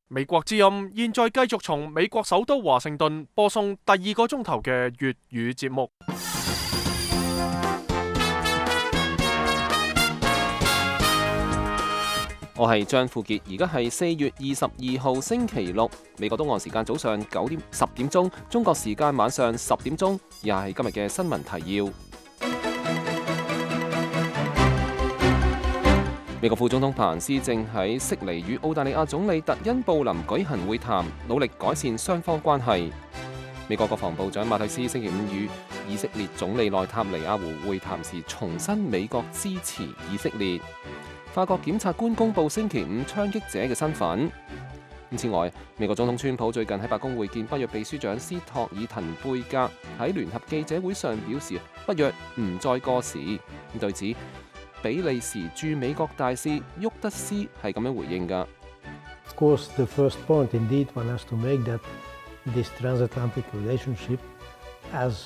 美國之音現在繼續從美國首都華盛頓播送第二個鐘頭嘅粵語節目。我係張富傑，而家係4月22號星期六，美國東岸時間早上10點鐘，中國時間晚上10點鐘，又係今日嘅新聞提要。美國副總統彭斯正喺悉尼與澳大利亞總理特恩布林舉行會談，努力改善雙方關係。美國國防部長馬蒂斯星期5與以色列總理內塔尼亞胡會談時，重申美國支持以色列。法國檢察官公布星期5槍擊者嘅身份。此外，美國總統川普最近喺白宮會見北約秘書長斯托爾滕貝格，喺聯合記者會上表示北約唔再過時。對此，比利時駐美國大使沃德斯係咁樣回應㗎。Of course, the first point indeed one has to make that this transatlantic relationship as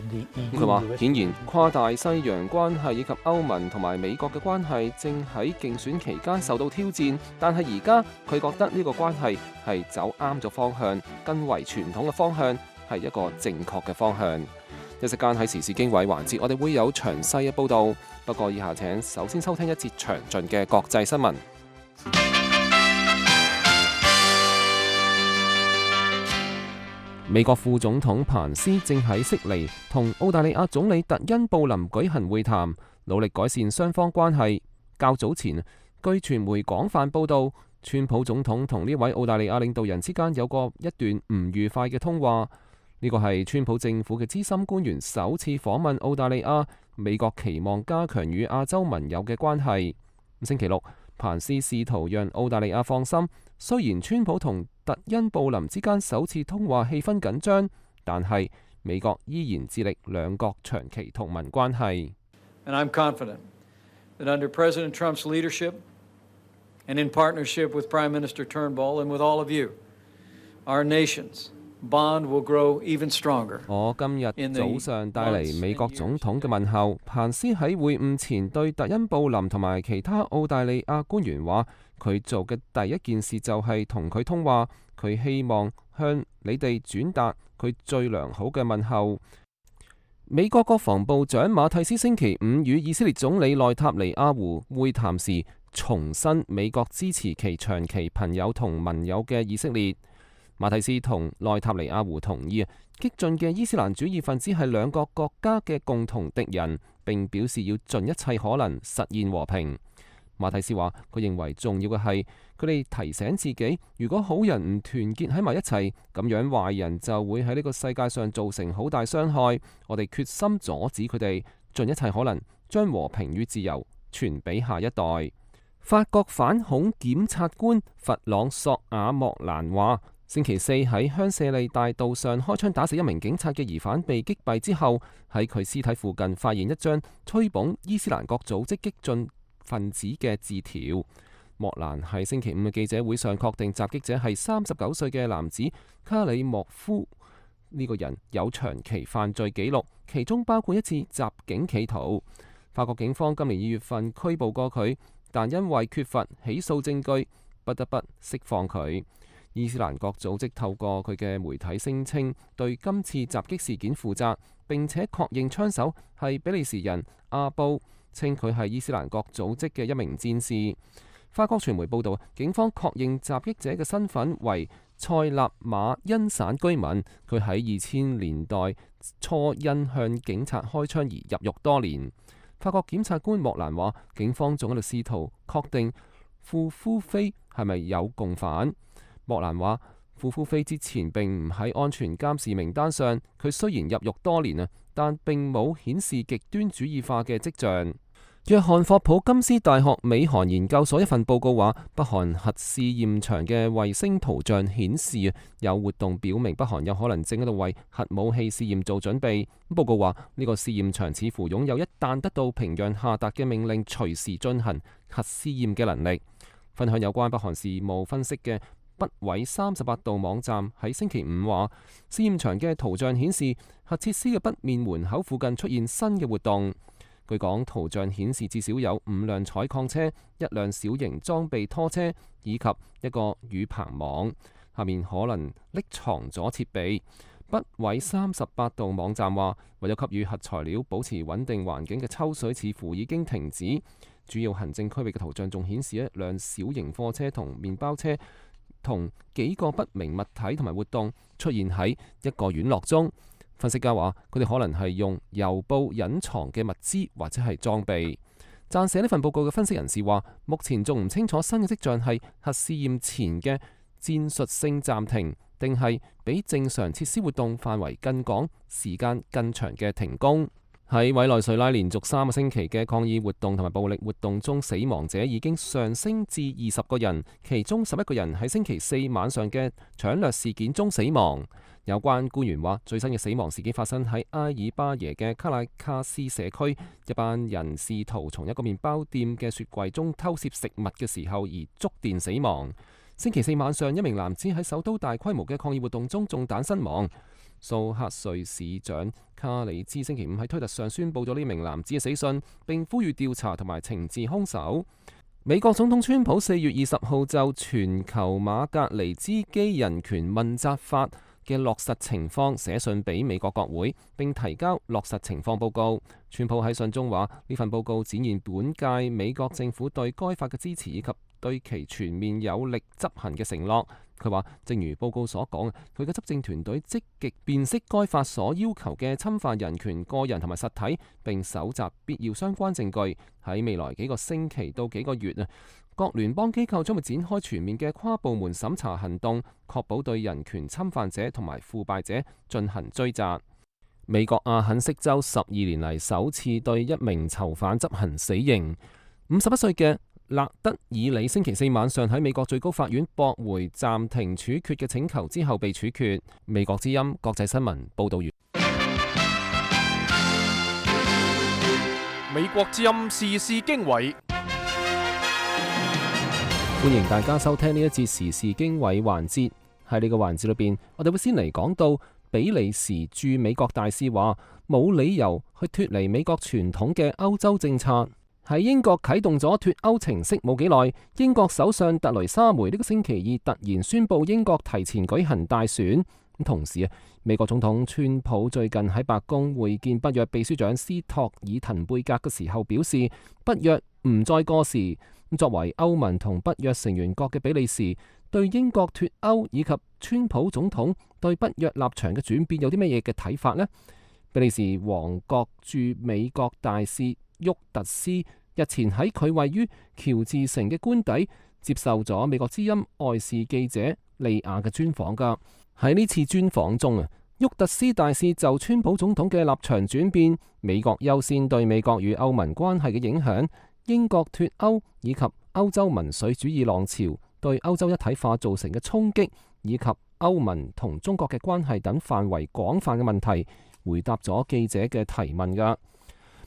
the EU。佢話：顯然跨大西洋關係以及歐盟同埋美國嘅關係正喺競選期間受到挑戰，但係而家佢覺得呢個關係係走啱咗方向，更為傳統嘅方向係一個正確嘅方向。一陣間喺時事經緯環節，我哋會有詳細嘅報導。不過以下請首先收聽一節詳盡嘅國際新聞。美國副總統彭斯正喺悉尼同澳大利亞總理特恩布林舉行會談，努力改善雙方關係。較早前，據傳媒廣泛報導，川普總統同呢位澳大利亞領導人之間有過一段唔愉快嘅通話。呢個係川普政府嘅資深官員首次訪問澳大利亞，美國期望加強與亞洲盟友嘅關係。星期六，彭斯試圖讓澳大利亞放心，雖然川普同特恩布林之間首次通話氣氛緊張，但係美國依然致力兩國長期同盟關係。And I'm confident that under President Trump's leadership and in partnership with Prime Minister Turnbull and with all of you, our nations Bond will grow even stronger. 我今日早上帶嚟美國總統嘅問候。彭斯喺會晤前對特恩布林同埋其他澳大利亞官員話，佢做嘅第一件事就係同佢通話，佢希望向你哋轉達佢最良好嘅問候。美國國防部長馬蒂斯星期5與以色列總理內塔尼亞胡會談時，重申美國支持其長期朋友同盟友嘅以色列。馬蒂斯同內塔尼亞胡同意，激進嘅伊斯蘭主義分子係兩個國家嘅共同敵人，並表示要盡一切可能實現和平。馬蒂斯話：佢認為重要嘅係佢哋提醒自己，如果好人唔團結喺埋一齊，咁樣壞人就會喺呢個世界上造成好大傷害。我哋決心阻止佢哋，盡一切可能將和平與自由傳俾下一代。法國反恐檢察官弗朗索瓦莫蘭話：星期4喺香榭麗大道上開槍打死一名警察嘅疑犯被擊斃之後，喺佢屍體附近發現一張吹捧伊斯蘭國組織激進分子嘅字條。莫蘭喺星期5嘅記者會上確定襲擊者係39歲嘅男子卡里莫夫。呢個人有長期犯罪記錄，其中包括一次襲警企圖。法國警方今年2月份拘捕過佢，但因為缺乏起訴證據，不得不釋放佢。伊斯蘭國組織透過佢嘅媒體聲稱對今次襲擊事件負責，並且確認槍手係比利時人阿布，稱佢係伊斯蘭國組織嘅一名戰士。法國傳媒報道，警方確認襲擊者嘅身份為塞納馬恩省居民，佢喺2000年代初因向警察開槍而入獄多年。法國檢察官莫蘭話，警方仲喺度試圖確定庫夫菲係咪有共犯。莫蘭話：庫夫菲之前並唔喺安全監視名單上，佢雖然入獄多年啊，但並冇顯示極端主義化嘅跡象。約翰霍普金斯大學美韓研究所一份報告話，北韓核試驗場嘅衛星圖像顯示有活動表明北韓有可能正喺度為核武器試驗做準備。報告話呢個試驗場似乎擁有一旦得到平壤下達嘅命令隨時進行核試驗嘅能力。分享有關北韓事務分析嘅北緯38度網站喺星期5話，試驗場嘅圖像顯示核設施嘅北面門口附近出現新嘅活動。據講，圖像顯示至少有5輛採礦車、1輛小型裝備拖車以及一個雨棚網，下面可能匿藏咗設備。北緯38度網站話，為咗給予核材料保持穩定環境嘅抽水似乎已經停止。主要行政區域嘅圖像仲顯示一輛小型貨車同麵包車同幾個不明物體同埋活動出現喺一個院落中。分析家話，佢哋可能係用郵報隱藏嘅物資或者係裝備。撰寫呢份報告嘅分析人士話，目前仲唔清楚新嘅跡象係核試驗前嘅戰術性暫停，定係比正常設施活動範圍更廣、時間更長嘅停工。喺委內瑞拉連續3個星期嘅抗議活動同埋暴力活動中，死亡者已經上升至20個人，其中11個人喺星期4晚上嘅搶掠事件中死亡。有關官員話，最新嘅死亡事件發生喺埃爾巴耶嘅卡拉卡斯社區，一班人試圖從一個麵包店嘅雪櫃中偷竊食物嘅時候而觸電死亡。星期4晚上，一名男子喺首都大規模嘅抗議活動中中彈身亡。蘇克瑞市長卡里茲星期5喺推特上宣佈咗呢名男子嘅死訊，並呼籲調查同埋懲治兇手。美國總統川普4月20號就全球馬格尼茲基人權問責法嘅落實情況寫信俾美國國會，並提交落實情況報告。川普喺信中話，呢份報告展現本屆美國政府對該法嘅支持以及對其全面有力執行嘅承諾。佢話，正如報告所講，佢嘅執政團隊積極辨識該法所要求嘅侵犯人權個人同埋實體，並搜集必要相關證據。喺未來幾個星期到幾個月各聯邦機構將會展開全面嘅跨部門審查行動，確保對人權侵犯者同埋腐敗者進行追責。美國阿肯色州12年嚟首次對一名囚犯執行死刑。51歲嘅勒德爾里星期4晚上喺美國最高法院駁回暫停處決嘅請求之後被處決。美國之音國際新聞報道完。美國之音時事經緯。歡迎大家收聽呢一節時事經緯環節。喺呢個環節裏邊，我哋會先嚟講到比利時駐美國大使話冇理由去脫離美國傳統嘅歐洲政策。喺英國啟動咗脫歐程式冇幾耐，英國首相特雷莎梅呢個星期二突然宣布英國提前舉行大選。同時美國總統川普最近喺白宮會見北約秘書長斯托爾滕貝格嘅時候表示，北約唔再過時。作為歐盟同北約成員國嘅比利時，對英國脫歐以及川普總統對北約立場嘅轉變有啲乜嘢嘅睇法呢？比利時王國駐美國大使沃特斯日前喺佢位於喬治城嘅官邸接受咗美國之音外事記者利亞嘅專訪㗎。喺呢次專訪中沃特斯大使就川普總統嘅立場轉變、美國優先對美國與歐盟關係嘅影響、英國脫歐以及歐洲民粹主義浪潮對歐洲一體化造成嘅衝擊，以及歐盟同中國嘅關係等範圍廣泛嘅問題，回答咗記者嘅提問㗎。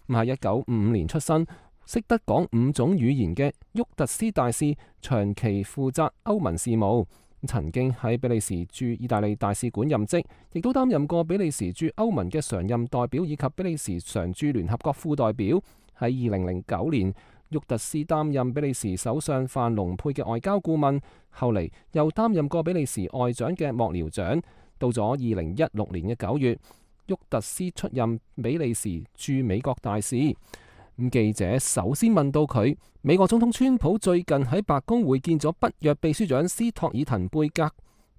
喺1955年出生、識得講5種語言嘅沃特斯大使，長期負責歐盟事務，曾經喺比利時駐意大利大使館任職，亦都擔任過比利時駐歐盟嘅常任代表以及比利時常駐聯合國副代表。喺2009年，沃特斯擔任比利時首相范龍佩嘅外交顧問，後嚟又擔任過比利時外長嘅幕僚長。到咗2016年嘅9月，沃特斯出任比利時駐美國大使。記者首先問到佢，美國總統川普最近喺白宮會見咗北約秘書長斯托爾滕貝格，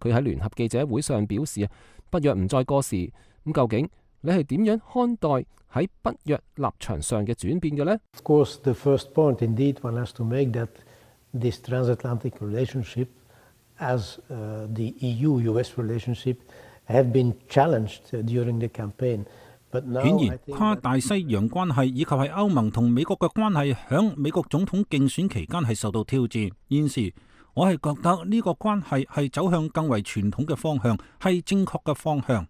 佢喺聯合記者會上表示北約唔再過時。究竟你係點樣看待喺北約立場上嘅轉變嘅呢？ Of course, the first point indeed one has to make that this transatlantic relationship as the EU-US relationship have been challenged during the campaign. 顯然，跨大西洋關係以及係歐盟同美國嘅關係，響美國總統競選期間係受到挑戰。現時我係覺得呢個關係係走向更為傳統嘅方向，係正確嘅方向。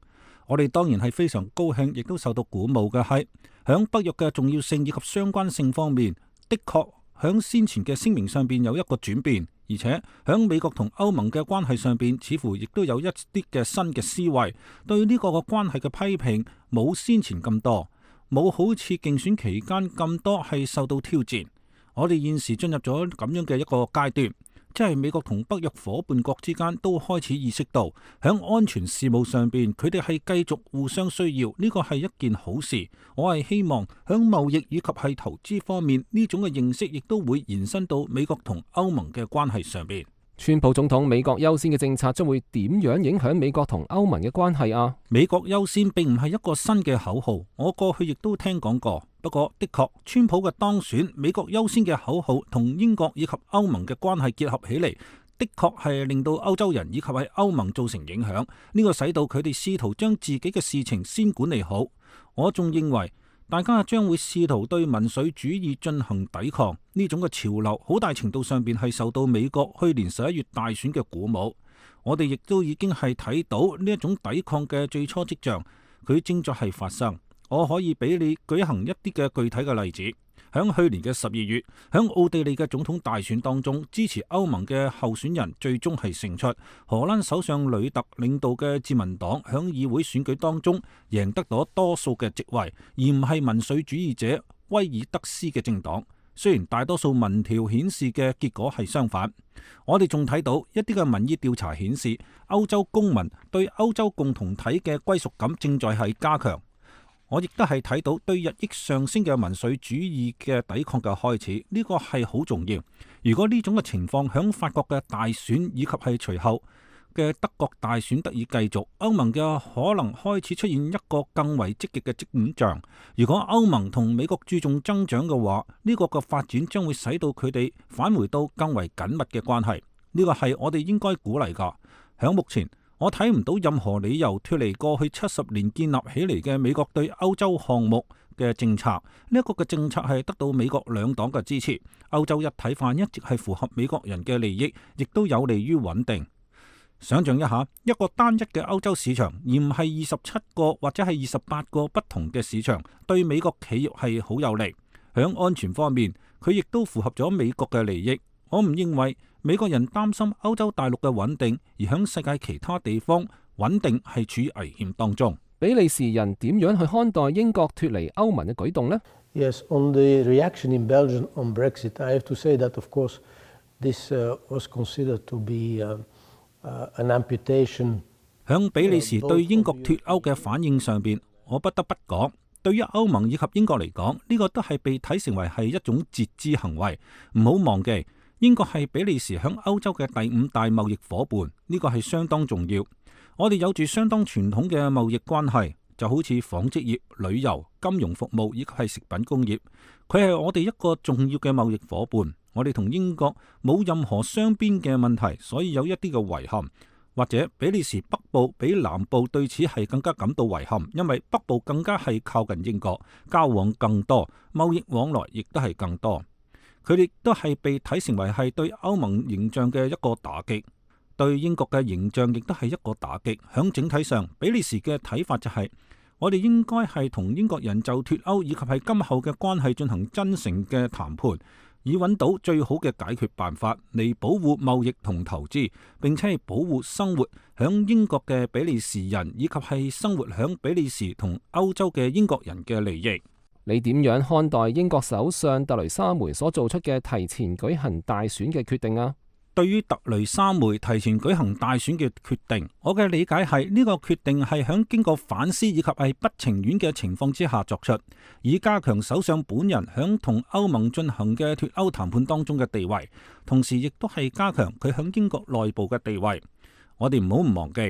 我哋當然係非常高興，亦都受到鼓舞嘅係，響北約嘅重要性以及相關性方面，的確響先前嘅聲明上邊有一個轉變，而且響美國同歐盟嘅關係上邊，似乎亦都有一啲嘅新嘅思維，對呢個嘅關係嘅批評冇先前咁多。冇好似競選期間咁多係受到挑戰。我哋現時進入咗咁樣嘅一個階段，即係美國同北約夥伴國之間都開始意識到，響安全事務上邊，佢哋係繼續互相需要，呢個係一件好事。我係希望響貿易以及係投資方面，呢種嘅認識亦都會延伸到美國同歐盟嘅關係上邊。川普總統美國優先嘅政策將會點樣影響美國同歐盟嘅關係啊？美國優先並唔係一個新嘅口號，我過去亦都聽講過。不過的確，川普嘅當選，美國優先嘅口號同英國以及歐盟嘅關係結合起嚟，的確係令到歐洲人以及係歐盟造成影響。呢個使到佢哋試圖將自己嘅事情先管理好。我仲認為大家將會試圖對民粹主義進行抵抗，呢種嘅潮流好大程度上邊係受到美國去年11月大選嘅鼓舞。我哋亦都已經係睇到呢一種抵抗嘅最初跡象，佢正在係發生。我可以俾你舉行一啲嘅具體嘅例子。響去年嘅12月，響奧地利嘅總統大選當中，支持歐盟嘅候選人最終係勝出。荷蘭首相呂特領導嘅自民黨響議會選舉當中贏得咗多數嘅席位，而唔係民粹主義者威爾德斯嘅政黨。雖然大多數民調顯示嘅結果係相反，我哋仲睇到一啲嘅民意調查顯示，歐洲公民對歐洲共同體嘅歸屬感正在係加強。我亦都係睇到對日益上升嘅民粹主義嘅抵抗嘅開始，呢個係好重要。如果呢種嘅情況響法國嘅大選以及係隨後嘅德國大選得以繼續，歐盟嘅可能開始出現一個更為積極嘅跡象。如果歐盟同美國注重增長嘅話，呢個嘅發展將會使到佢哋返回到更為緊密嘅關係。呢個係我哋應該鼓勵㗎。響目前，我睇唔到任何理由脫離過去70年建立起嚟嘅美國對歐洲項目嘅政策。呢一個嘅政策係得到美國兩黨嘅支持。歐洲一體化一直係符合美國人嘅利益，亦都有利於穩定。想象一下，一個單一嘅歐洲市場，而唔係27個或者係28個不同嘅市場，對美國企業係好有利。響安全方面，佢亦都符合咗美國嘅利益。我唔認為美國人擔心歐洲大陸嘅穩定，而響世界其他地方穩定係處於危險當中。比利時人點樣去看待英國脫離歐盟嘅舉動呢？ Yes, on the reaction in Belgium on Brexit, I have to say that, of course, this was considered to be an amputation. 響比利時對英國脫歐嘅反應上邊，我不得不講，對於歐盟以及英國嚟講，呢個都係被睇成為係一種截肢行為。唔好忘記，英國係比利時響歐洲嘅第5大貿易夥伴，呢個係相當重要。我哋有住相當傳統嘅貿易關係，就好似紡織業、旅遊、金融服務以及係食品工業，佢係我哋一個重要嘅貿易夥伴。我哋同英國冇任何雙邊嘅問題，所以有一啲嘅遺憾。或者比利時北部比南部對此係更加感到遺憾，因為北部更加係靠近英國，交往更多，貿易往來亦都係更多。佢哋都係被睇成為係對歐盟形象嘅一個打擊，對英國嘅形象亦都係一個打擊。響整體上，比利時嘅睇法就係，我哋應該係同英國人就脫歐以及係今後嘅關係進行真誠嘅談判，以揾到最好嘅解決辦法嚟保護貿易同投資，並且係保護生活響英國嘅比利時人以及係生活響比利時同歐洲嘅英國人嘅利益。你點樣看待英國首相特雷莎梅所做出嘅提前舉行大選嘅決定啊？對於特雷莎梅提前舉行大選嘅決定，我嘅理解係呢個決定係響經過反思以及係不情願嘅情況之下作出，以加強首相本人響同歐盟進行嘅脫歐談判當中嘅地位，同時亦都係加強佢響英國內部嘅地位。我哋唔好唔忘記，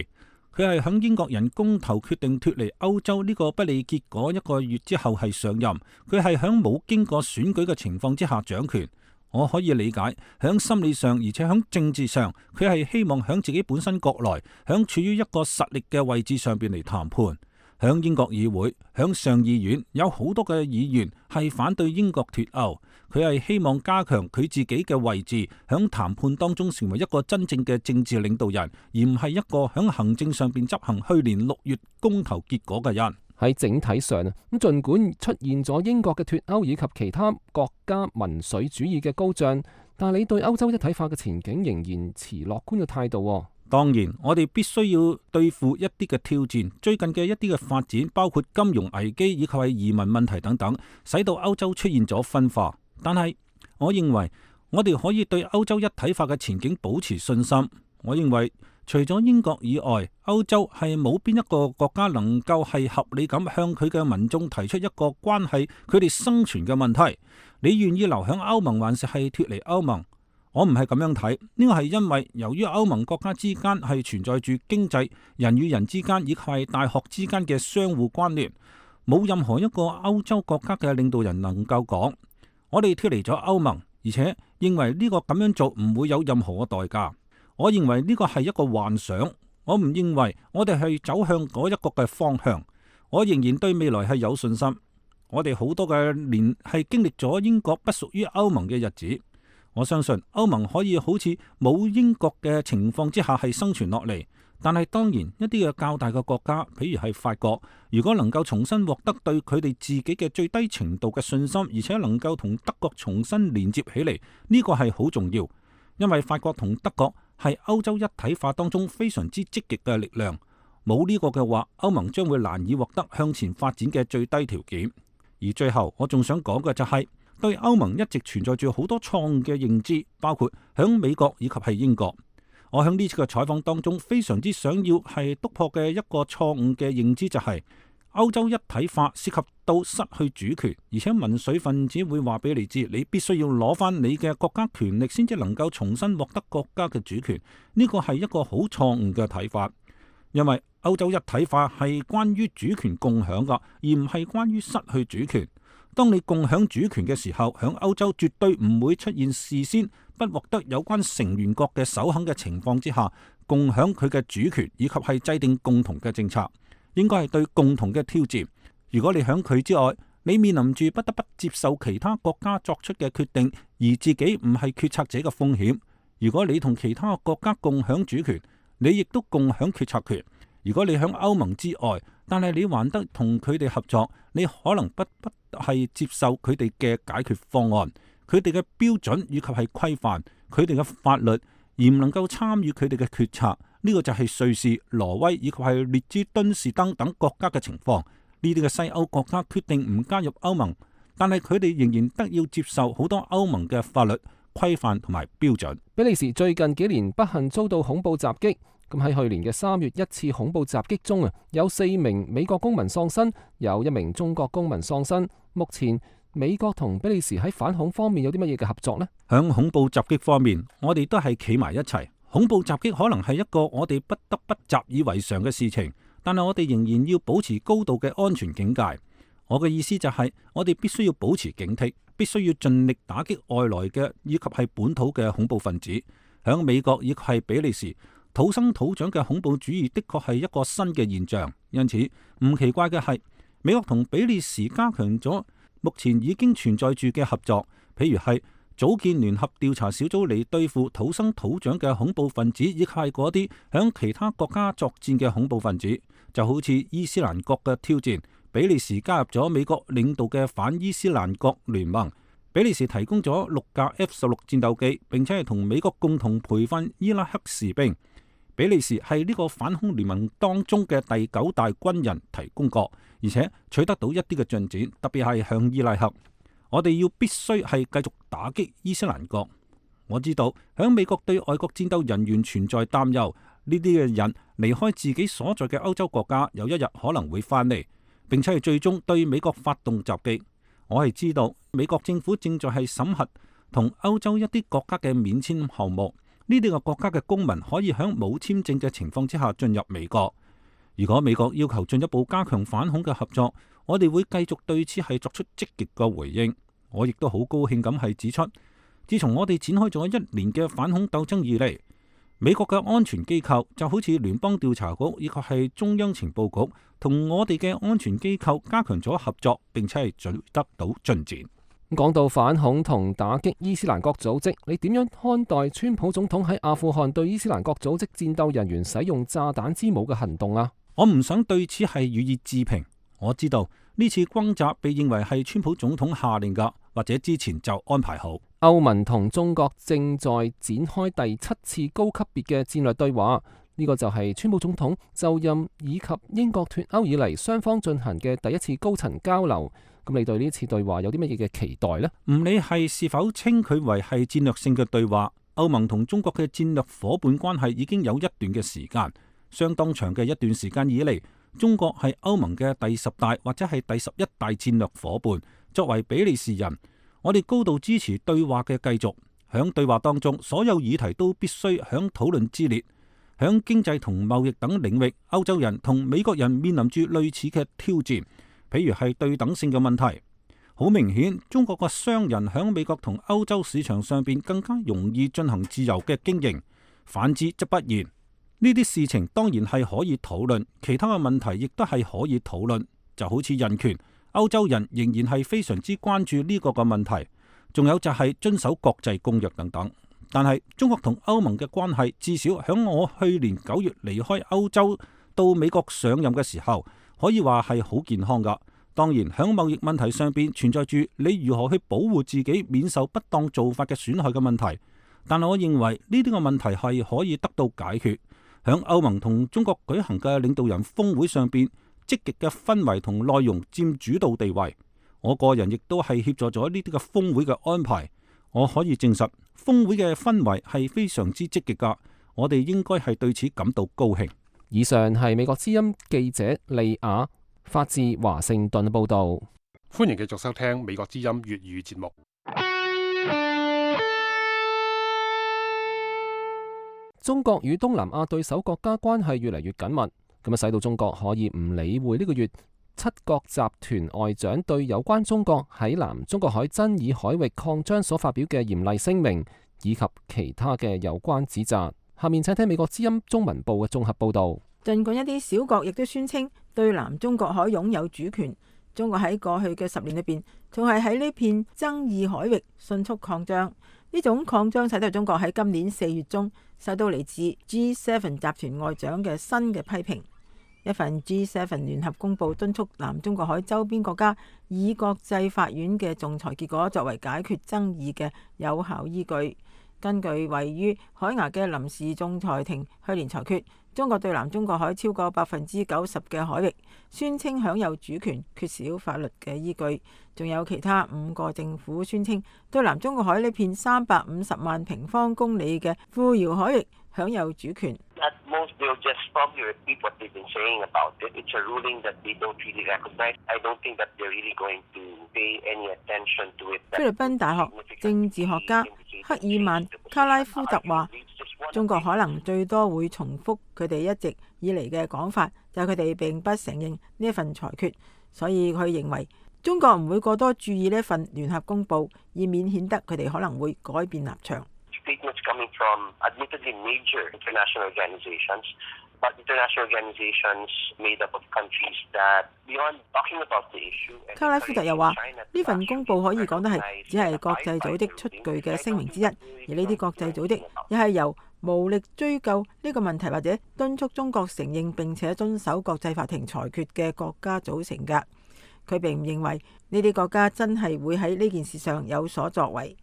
佢係響英國人公投決定脫離歐洲呢個不利結果1個月之後係上任，佢係響冇經過選舉嘅情況之下掌權。我可以理解，響心理上而且響政治上，佢係希望響自己本身國內，響處於一個實力嘅位置上邊嚟談判。響英國議會，響上議院有好多嘅議員係反對英國脫歐，佢係希望加強佢自己嘅位置，響談判當中成為一個真正嘅政治領導人，而唔係一個響行政上邊執行去年6月公投結果嘅人。喺整體上啊，咁儘管出現咗英國嘅脫歐以及其他國家民粹主義嘅高漲，但係你對歐洲一體化嘅前景仍然持樂觀嘅態度。當然，我哋必須要對付一啲嘅挑戰。最近嘅一啲嘅發展，包括金融危機以及係移民問題等等，使到歐洲出現咗分化。但係，我認為我哋可以對歐洲一體化嘅前景保持信心。我認為除咗英國以外，歐洲係冇邊一個國家能夠係合理咁向佢嘅民眾提出一個關係佢哋生存嘅問題。你願意留響歐盟，還是係脫離歐盟？我唔係咁樣睇，呢個係因為由於歐盟國家之間係存在住經濟、人與人之間以及係大學之間嘅相互關聯，冇任何一個歐洲國家嘅領導人能夠講我哋脫離咗歐盟，而且認為呢個咁樣做唔會有任何嘅代價。我認為呢個係一個幻想，我唔認為我哋係走向嗰一個嘅方向。我仍然對未來係有信心。我哋好多嘅年係經歷咗英國不屬於歐盟嘅日子。我相信歐盟可以好似冇英國嘅情況之下係生存落嚟，但係當然一啲嘅較大嘅國家，譬如係法國，如果能夠重新獲得對佢哋自己嘅最低程度嘅信心，而且能夠同德國重新連接起嚟，呢個係好重要，因為法國同德國係歐洲一體化當中非常之積極嘅力量。冇呢個嘅話，歐盟將會難以獲得向前發展嘅最低條件。而最後我仲想講嘅就係，對歐盟一直存在住好多錯誤嘅認知，包括響美國以及係英國。我響呢次嘅採訪當中，非常之想要係突破嘅一個錯誤嘅認知就係，歐洲一體化涉及到失去主權，而且民粹分子會話俾你知，你必須要攞翻你嘅國家權力先至能夠重新獲得國家嘅主權。呢個係一個好錯誤嘅睇法，因為歐洲一體化係關於主權共享噶，而唔係關於失去主權。當你共享主權嘅時候，響歐洲絕對唔會出現事先不獲得有關成員國嘅首肯嘅情況之下，共享佢嘅主權以及係制定共同嘅政策，應該係對共同嘅挑戰。如果你響佢之外，你面臨住不得不接受其他國家作出嘅決定，而自己唔係決策者嘅風險。如果你同其他國家共享主權，你亦都共享決策權。如果你響歐盟之外，但係你還得同佢哋合作，你可能不係接受佢哋嘅解決方案，佢哋嘅標準以及係規範，佢哋嘅法律，而唔能夠參與佢哋嘅決策。呢個就係瑞士、挪威以及係列支敦士登等國家嘅情況。呢啲嘅西歐國家決定唔加入歐盟，但係佢哋仍然得要接受好多歐盟嘅法律規範同埋標準。比利時最近幾年不幸遭到恐怖襲擊。咁喺去年嘅3月一次恐怖襲擊中有4名美國公民喪生，有1名中國公民喪生。目前美國同比利時喺反恐方面有啲乜嘢嘅合作呢？響恐怖襲擊方面，我哋都係企埋一齊。恐怖襲擊可能係一個我哋不得不習以為常嘅事情，但係我哋仍然要保持高度嘅安全警戒。我嘅意思就係，我哋必須要保持警惕，必須要盡力打擊外來嘅以及係本土嘅恐怖分子。響美國以及係比利時，土生土長嘅恐怖主義的確係一個新嘅現象，因此唔奇怪嘅係，美國同比利時加強咗目前已經存在住嘅合作，譬如係組建聯合調查小組嚟對付土生土長嘅恐怖分子，以及係嗰啲響其他國家作戰嘅恐怖分子，就好似伊斯蘭國嘅挑戰，比利時加入咗美國領導嘅反伊斯蘭國聯盟，比利時提供咗6架F-16戰鬥機，並且係同美國共同培訓伊拉克士兵。比利時係呢個反恐聯盟當中嘅第9大軍人提供國，而且取得到一啲嘅進展，特別係向伊拉克。我哋要必須係繼續打擊伊斯蘭國。我知道響美國對外國戰鬥人員存在擔憂，呢啲嘅人離開自己所在嘅歐洲國家，有一日可能會翻嚟，並且係最終對美國發動襲擊。我係知道美國政府正在係審核同歐洲一啲國家嘅免簽項目。呢啲個國家嘅公民可以喺冇簽證嘅情況之下進入美國。如果美國要求進一步加強反恐嘅合作，我哋會繼續對此係作出積極嘅回應。我亦都好高興咁係指出，自從我哋展開咗1年嘅反恐鬥爭以嚟，美國嘅安全機構就好似聯邦調查局以及係中央情報局，同我哋嘅安全機構加強咗合作，並且係取得到進展。講到反恐同打擊伊斯蘭國組織，你點樣看待川普總統喺阿富汗對伊斯蘭國組織戰鬥人員使用炸彈之母嘅行動啊？我唔想對此係予以置評。我知道呢次轟炸被認為係川普總統下令㗎，或者之前就安排好。歐盟同中國正在展開第7次高級別嘅戰略對話，呢個就係川普總統就任以及英國脫歐以嚟雙方進行嘅第一次高層交流。咁你對呢次對話有啲乜嘢嘅期待呢？唔理係是否稱佢為係戰略性嘅對話，歐盟同中國嘅戰略夥伴關係已經有一段嘅時間，相當長嘅一段時間以嚟，中國係歐盟嘅第10大或者係第11大戰略夥伴。作為比利時人，我哋高度支持對話嘅繼續。響對話當中，所有議題都必須響討論之列。響經濟同貿易等領域，歐洲人同美國人面臨住類似嘅挑戰，譬如係對等性嘅問題。好明顯，中國嘅商人響美國同歐洲市場上邊更加容易進行自由嘅經營，反之則不然。呢啲事情當然係可以討論，其他嘅問題亦都係可以討論，就好似人權。歐洲人仍然係非常之關注呢個嘅問題，仲有就係遵守國際公約等等。但係中國同歐盟嘅關係，至少響我去年9月離開歐洲到美國上任嘅時候，可以話係好健康噶。當然響貿易問題上邊存在住你如何去保護自己免受不當做法嘅損害嘅問題，但係我認為呢啲嘅問題係可以得到解決。響歐盟同中國舉行嘅領導人峰會上邊，積極嘅氛圍同內容佔主導地位。我個人亦都係協助咗呢啲嘅峰會嘅安排。我可以證實，峰會嘅氛圍係非常之積極噶。我哋應該係對此感到高興。以上係美國之音記者利亞發自華盛頓報道。歡迎繼續收聽美國之音粵語節目。中國與東南亞對手國家關係越嚟越緊密，咁啊使到中國可以唔理會呢個月7國集團外長對有關中國喺南中國海爭議海域擴張所發表嘅嚴厲聲明，以及其他嘅有關指責。下面請聽美國之音中文部嘅綜合報導。儘管一啲小國亦都宣稱對南中國海擁有主權，中國喺過去嘅10年裏邊，仲係喺呢片爭議海域迅速擴張。呢種擴張使到中國喺今年4月中受到嚟自 G7 集團外長嘅新嘅批評。一份 G7 聯合公佈敦促南中國海周邊國家以國際法院嘅仲裁結果作為解決爭議嘅有效依據。根據位於海牙嘅臨時仲裁庭去年裁決，中國對南中國海超過90%嘅海域宣稱享有主權，缺少法律嘅依據。仲有其他5個政府宣稱對南中國海呢片350萬平方公里嘅富饒海域享有主權。菲律賓大學政治學家克爾曼卡拉夫特話，中國可能最多會重複佢哋一直以嚟嘅講法，就係佢哋並不承認呢一份裁決，所以佢認為中國唔會過多注意呢一份聯合公報，以免顯得佢哋可能會改變立場。卡拉夫特又話，呢份公報可以講得係只係國際組織出具嘅聲明之一，而呢啲國際組織亦係由無力追究呢個問題或者敦促中國承認並且遵守國際法庭裁決嘅國家組成㗎。佢並唔認為呢啲國家真係會喺呢件事上有所作為。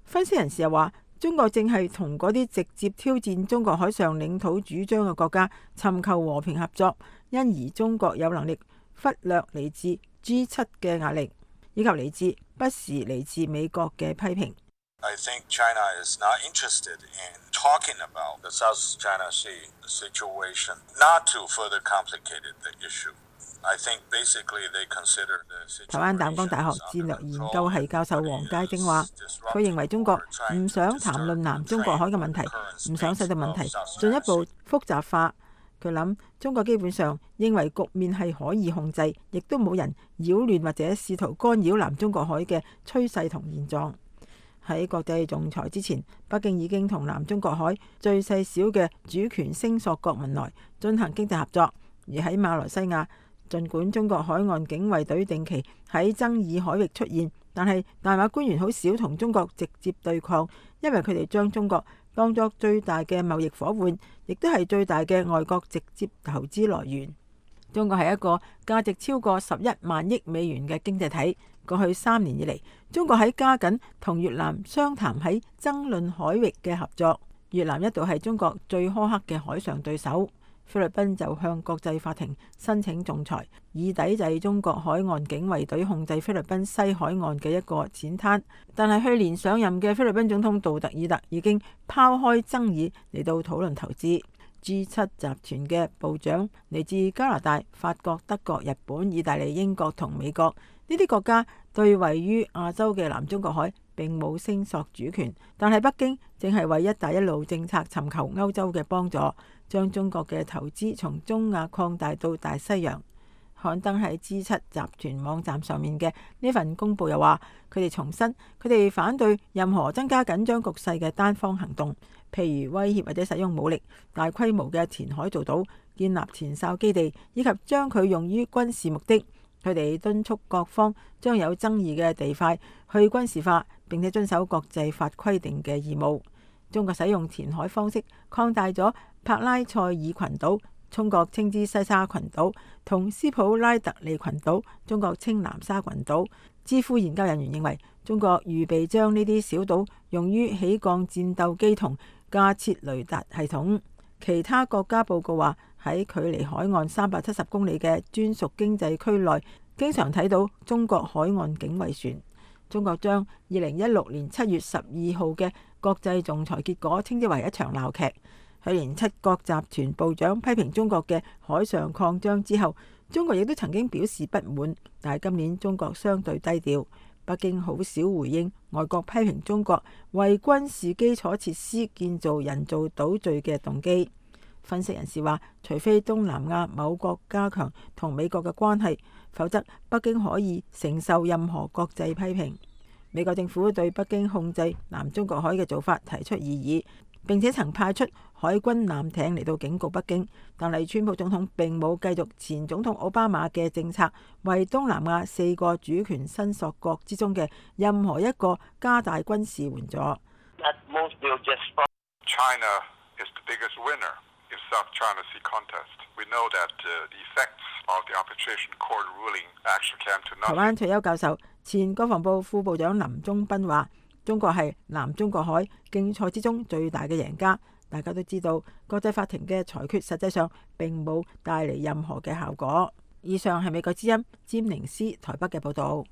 分析人士又話，中國正係同嗰啲直接挑戰中國海上領土主張嘅國家尋求和平合作，因而中國有能力忽略嚟自 G7 嘅壓力，以及嚟自不時嚟自美國嘅批評。I think China is not interested in talking about the South China Sea situation, not to further complicate the issue. I think basically they consider the situation. 台灣淡江大學戰略研究系教授黃佳晶話，佢認為中國唔想談論南中國海嘅問題，唔想使到問題進一步複雜化。佢諗中國基本上認為局面係可以控制，亦都冇人擾亂或者試圖干擾南中國海嘅趨勢同現狀。喺國際仲裁之前，北京已經同南中國海最細小嘅主權聲索國文萊進行經濟合作，而喺馬來西亞，儘管中國海岸警衛隊定期喺爭議海域出現，但係大馬官員好少同中國直接對抗，因為佢哋將中國當作最大嘅貿易夥伴，亦都係最大嘅外國直接投資來源。中國係一個價值超過11萬億美元嘅經濟體。過去3年以嚟，中國喺加緊同越南商談喺爭論海域嘅合作。越南一度係中國最苛刻嘅海上對手。菲律賓就向國際法庭申請仲裁，以抵制中國海岸警衛隊控制菲律賓西海岸嘅一個淺灘。但係去年上任嘅菲律賓總統杜特爾特已經拋開爭議嚟到討論投資。G7 集團嘅部長嚟自加拿大、法國、德國、日本、意大利、英國同美國。呢啲國家對位於亞洲嘅南中國海並冇聲索主權，但係北京正係為一帶一路政策尋求歐洲嘅幫助，將中國嘅投資從中亞擴大到大西洋。刊登喺 G7 集團網站上面嘅呢份公報又話，佢哋重申佢哋反對任何增加緊張局勢嘅單方行動，譬如威脅或者使用武力、大規模嘅填海造島、建立前哨基地，以及將佢用於軍事目的。佢哋敦促各方將有爭議嘅地塊去軍事化，並且遵守國際法規定嘅義務。中國使用填海方式擴大咗帕拉塞爾群島，中國稱之西沙群島，同斯普拉特利群島，中國稱南沙群島。智庫研究人員認為，中國預備將呢啲小島用於起降戰鬥機同架設雷達系統。其他國家報告話，喺距離海岸370公里嘅專屬經濟區內，經常睇到中國海岸警衛船。中國將2016年7月12號嘅國際仲裁結果稱之為一場鬧劇。去年7國集團部長批評中國嘅海上擴張之後，中國亦都曾經表示不滿，但係今年中國相對低調。北京好少回應外國批評中國為軍事基礎設施建造人造島嶼嘅動機。分析人士話，除非東南亞某國加強同美國嘅關係，否則北京可以承受任何國際批評。美國政府對北京控制南中國海嘅做法提出異議，並且曾派出海軍艦艇嚟到警告北京。但係川普總統並冇繼續前總統奧巴馬嘅政策，為東南亞4個主權伸索國之中嘅任何一個加大軍事援助。台灣退休教授、前國防部副部長林忠斌話，中國係南中國海競賽之中最大嘅贏家。大家都知道，國際法庭嘅裁決實際上並冇帶嚟任何嘅效果。以上係美國之音詹寧斯台北嘅報道。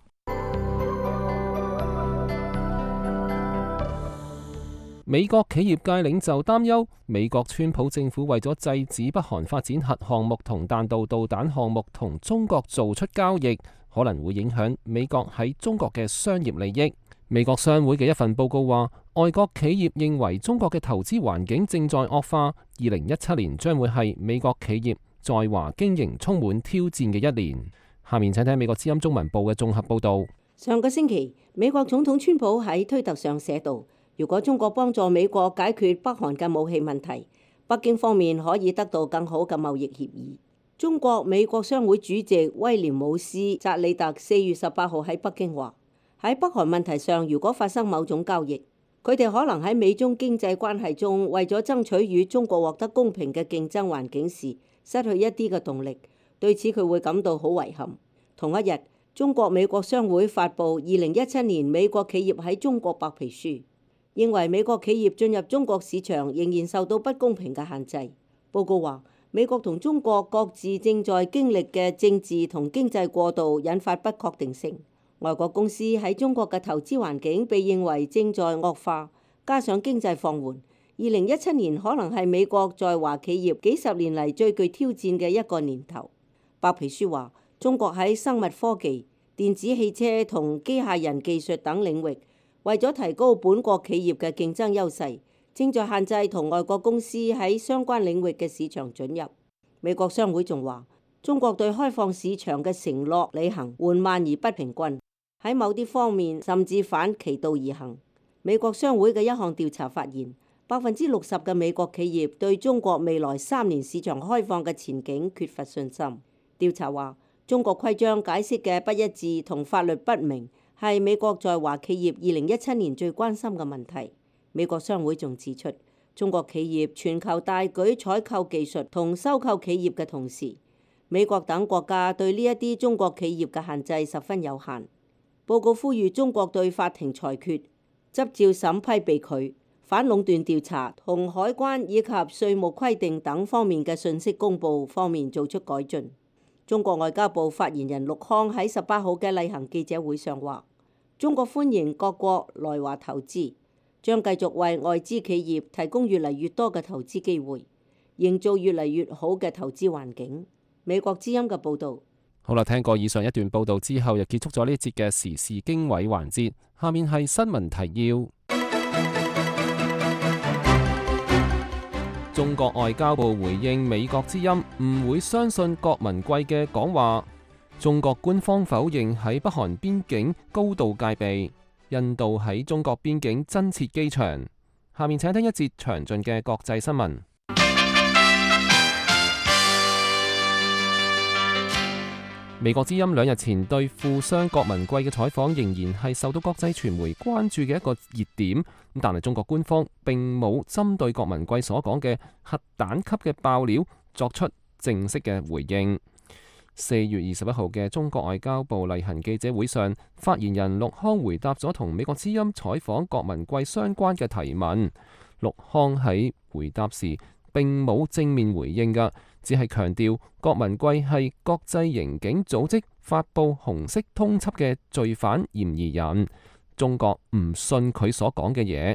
美國企業界領袖擔憂，美國川普政府為咗制止北韓發展核項目同彈道導彈項目同中國做出交易，可能會影響美國喺中國嘅商業利益。美國商會嘅一份報告話，外國企業認為中國嘅投資環境正在惡化，2017年將會係美國企業在華經營充滿挑戰嘅一年。下面請睇美國之音中文部嘅綜合報導。上個星期，美國總統川普喺推特上寫道，如果中國幫助美國解決北韓嘅武器問題，北京方面可以得到更好嘅貿易協議。中國美國商會主席威廉姆斯扎里特4月18號喺北京話，喺北韓問題上，如果發生某種交易，佢哋可能喺美中經濟關係中為咗爭取與中國獲得公平嘅競爭環境時，失去一啲嘅動力。對此佢會感到好遺憾。同一日，中國美國商會發布2017年美國企業喺中國白皮書，認為美國企業進入中國市場仍然受到不公平嘅限制。報告話，美國同中國各自正在經歷嘅政治同經濟過渡引發不確定性。外國公司喺中國嘅投資環境被認為正在惡化，加上經濟放緩，2017年可能係美國在華企業幾十年嚟最具挑戰嘅一個年頭。白皮書話，中國喺生物科技、電子汽車同機械人技術等領域，為咗提高本國企業嘅競爭優勢，正在限制同外國公司喺相關領域嘅市場准入。美國商會仲話，中國對開放市場嘅承諾履行緩慢而不平均，喺某啲方面甚至反其道而行。美國商會嘅一項調查發現，60%嘅美國企業對中國未來3年市場開放嘅前景缺乏信心。調查話，中國規章解釋嘅不一致同法律不明係美國在華企業2017年最關心嘅問題。美國商會仲指出，中國企業全球大舉採購技術同收購企業嘅同時，美國等國家對呢一啲中國企業嘅限制十分有限。報告呼籲中國對法庭裁決、執照審批被拒、反壟斷調查同海關以及稅務規定等方面嘅信息公佈方面做出改進。中國外交部發言人陸康喺18號嘅例行記者會上話：中國歡迎各國來華投資，將繼續為外資企業提供越嚟越多嘅投資機會，營造越嚟越好嘅投資環境。美國之音嘅報導。好啦，聽過以上一段報導之後，又結束咗呢一節嘅時事經緯環節。下面係新聞提要。中國外交部回應美國之音唔會相信郭文貴嘅講話。中國官方否認喺北韓邊境高度戒備。印度喺中國邊境增設機場。下面請聽一節詳盡嘅國際新聞。美國之音2日前對富商郭文貴嘅採訪仍然係受到國際傳媒關注嘅一個熱點，但係中國官方並冇針對郭文貴所講嘅核彈級嘅爆料作出正式嘅回應。4月21號嘅中國外交部例行記者會上，發言人陸康回答咗同美國之音採訪郭文貴相關嘅提問。陸康喺回答時並冇正面回應㗎，只係強調郭文貴係國際刑警組織發布紅色通緝嘅罪犯嫌疑人，中國唔信佢所講嘅嘢。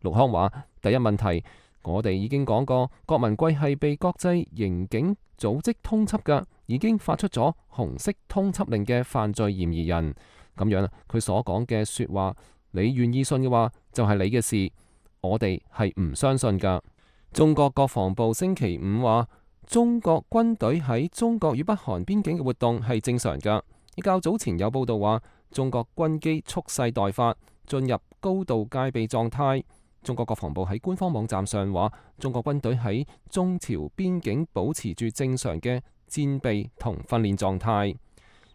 陸康話：第一問題，我哋已經講過，郭文貴係被國際刑警組織通緝㗎，已經發出咗紅色通緝令嘅犯罪嫌疑人。咁樣佢所講嘅說話，你願意信嘅話，就係你嘅事，我哋係唔相信㗎。中國國防部星期五話，中國軍隊喺中國與北韓邊境嘅活動係正常㗎。較早前有報道話，中國軍機蓄勢待發，進入高度戒備狀態。中國國防部喺官方網站上話，中國軍隊喺中朝邊境保持住正常嘅戰備同訓練狀態。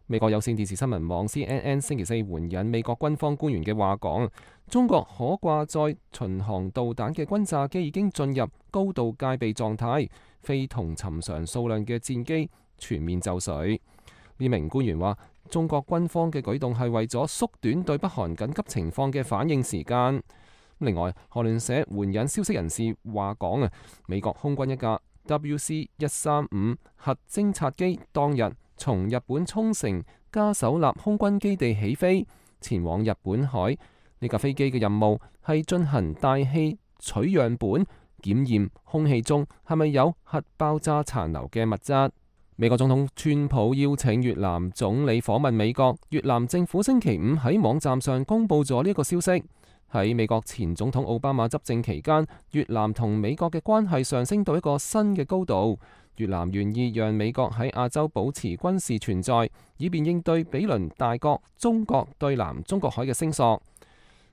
美國有線電視新聞網 CNN 星期四援引美國軍方官員嘅話講，中國可掛載巡航導彈嘅轟炸機已經進入高度戒備狀態，非同尋常數量嘅戰機全面就緒。呢名官員話，中國軍方嘅舉動係為咗縮短對北韓緊急情況嘅反應時間。另外，韓聯社援引消息人士話講美國空軍一架 WC-135核偵察機當日從日本沖繩嘉手納空軍基地起飛，前往日本海。呢架飛機嘅任務係進行大氣取樣本，檢驗空氣中係咪有核爆炸殘留嘅物質。美國總統川普邀請越南總理訪問美國，越南政府星期五喺網站上公布咗呢個消息。喺美國前總統奧巴馬執政期間，越南同美國嘅關係上升到一個新嘅高度。越南願意讓美國喺亞洲保持軍事存在，以便應對比鄰大國中國對南中國海嘅聲索。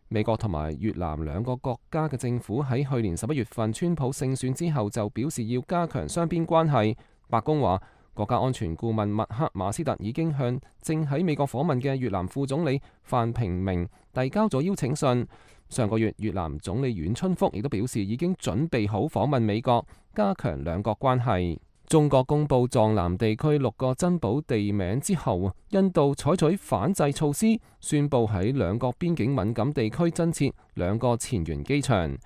美國同埋越南兩個國家嘅政府喺去年11月份川普勝選之後就表示要加強雙邊關係。白宮話，國家安全顧問麥克馬斯特已經向正喺美國訪問嘅越南副總理范平明遞交咗邀請信。上個月，越南總理阮春福亦都表示已經準備好訪問美國，加強兩國關係。中國公布藏南地區6個珍寶地名之後，印度採取反制措施，宣布喺兩國邊境敏感地區增設2個前沿機場。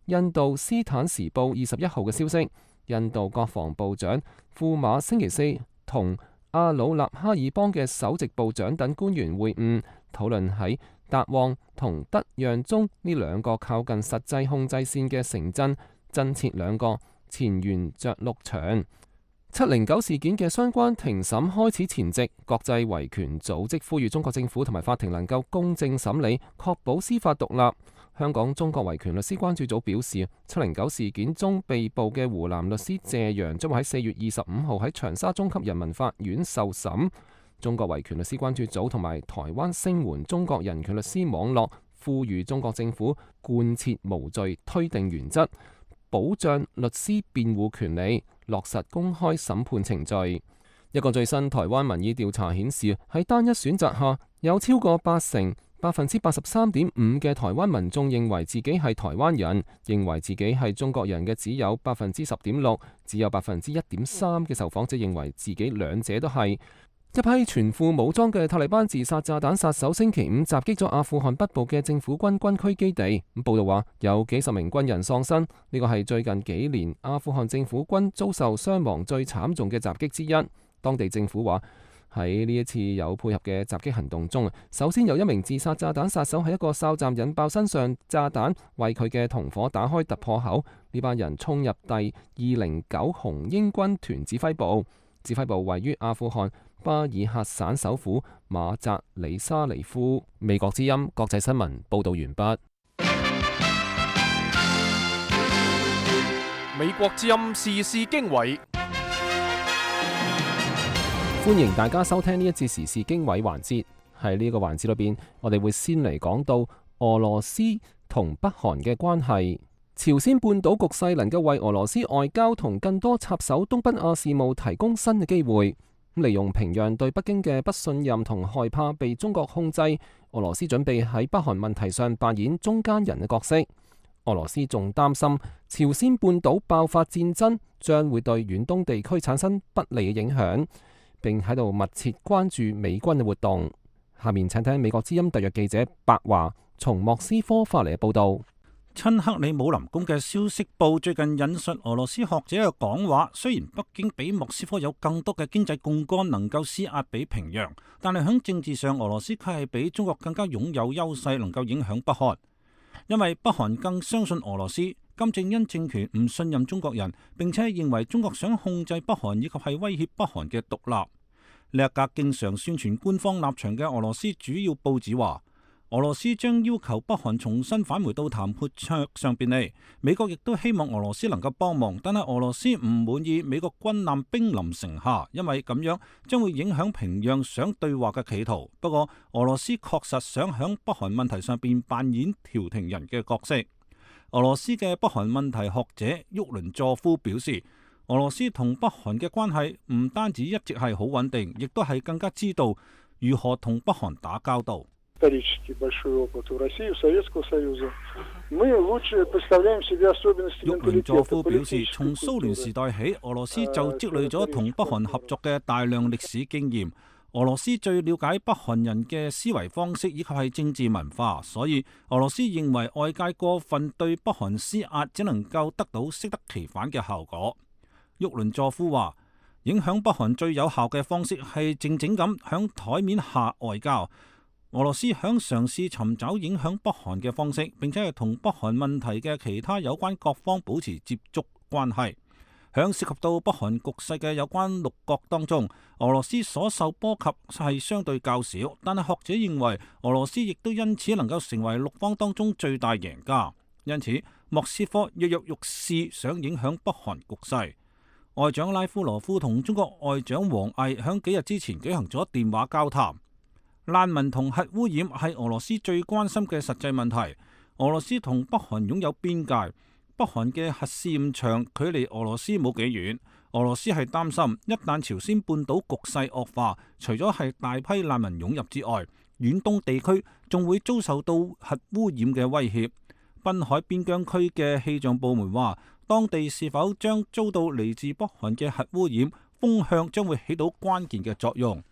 印度斯坦時報21號嘅消息，印度國防部長庫馬星期四同阿魯納哈爾邦嘅首席部長等官員會晤，討論喺達旺同德讓中呢2個靠近實際控制線嘅城鎮增設2個前沿着陸場。709事件嘅相關庭審開始前夕，國際維權組織呼籲中國政府同埋法庭能夠公正審理，確保司法獨立。香港中國維權律師關注組表示，709事件中被捕嘅湖南律師謝陽將會喺4月25號喺長沙中級人民法院受審。中國維權律師關注組同埋台灣聲援中國人權律師網絡呼籲中國政府貫徹無罪推定原則，保障律師辯護權利，落實公開審判程序。一個最新台灣民意調查顯示，喺單一選擇下，有超過80% 83.5% 嘅台灣民眾認為自己係台灣人，認為自己係中國人嘅只有 10.6%， 只有 1.3% 嘅受訪者認為自己兩者都係。一批全副武裝嘅塔利班自殺炸彈殺手星期五襲擊咗阿富汗北部嘅政府軍軍區基地。報道話有幾十名軍人喪生，呢個係最近幾年阿富汗政府軍遭受傷亡最慘重嘅襲擊之一。當地政府話喺呢一次有配合嘅襲擊行動中，首先有一名自殺炸彈殺手喺一個哨站引爆身上炸彈，為佢嘅同伙打開突破口。呢班人衝入第209紅鷹軍團指揮部，指揮部位於阿富汗巴爾喀省首府馬扎里沙尼夫。美國之音國際新聞報道完畢。美國之音時事經緯，歡迎大家收聽呢一節時事經緯環節。喺呢個環節裏邊，我哋會先嚟講到俄羅斯同北韓嘅關係。朝鮮半島局勢能夠為俄羅斯外交同更多插手東北亞事務提供新嘅機會。利用平壤對北京嘅不信任同害怕被中國控制，俄羅斯準備喺北韓問題上扮演中間人嘅角色。俄羅斯仲擔心朝鮮半島爆發戰爭將會對遠東地區產生不利嘅影響，並喺度密切關注美軍嘅活動。下面請聽美國之音特約記者白華從莫斯科發嚟嘅報道。親克里姆林宮嘅消息報最近引述俄羅斯學者嘅講話，雖然北京比莫斯科有更多嘅經濟槓桿能夠施壓俾平壤，但係喺政治上俄羅斯卻係比中國更加擁有優勢，能夠影響北韓。因為北韓更相信俄羅斯，金正恩政權唔信任中國人，並且認為中國想控制北韓以及係威脅北韓嘅獨立。呢一格經常宣傳官方立場嘅俄羅斯主要報紙話，俄羅斯將要求北韓重新返回到談判桌上邊嚟。美國亦都希望俄羅斯能夠幫忙，但係俄羅斯唔滿意美國軍艦兵臨城下，因為咁樣將會影響平壤想對話嘅企圖。不過俄羅斯確實想響北韓問題上邊扮演調停人嘅角色。俄羅斯嘅北韓問題學者沃倫佐夫表示，俄羅斯同北韓嘅關係唔單止一直係好穩定，亦都係更加知道如何同北韓打交道。沃倫佐夫表示，從蘇聯時代起，俄羅斯就積累咗同北韓合作嘅大量歷史經驗。俄羅斯最了解北韓人嘅思維方式以及係政治文化，所以俄羅斯認為外界過分對北韓施壓，只能夠得到適得其反嘅效果。沃倫佐夫話，影響北韓最有效嘅方式係靜靜咁響台面下外交。俄羅斯響嘗試尋找影響北韓嘅方式，並且係同北韓問題嘅其他有關各方保持接觸關係。響涉及到北韓局勢嘅有關六國當中，俄羅斯所受波及係相對較少，但係學者認為俄羅斯亦都因此能夠成為六方當中最大贏家。因此，莫斯科躍躍欲試想影響北韓局勢。外長拉夫羅夫同中國外長王毅響幾日之前舉行咗電話交談。難民同核污染係俄羅斯最關心嘅實際問題。俄羅斯同北韓擁有邊界，北韓嘅核試驗場距離俄羅斯冇幾遠。俄羅斯係擔心一旦朝鮮半島局勢惡化，除咗係大批難民湧入之外，遠東地區仲會遭受到核污染嘅威脅。濱海邊疆區嘅氣象部門話，當地是否將遭到嚟自北韓嘅核污染，風向將會起到關鍵嘅作用。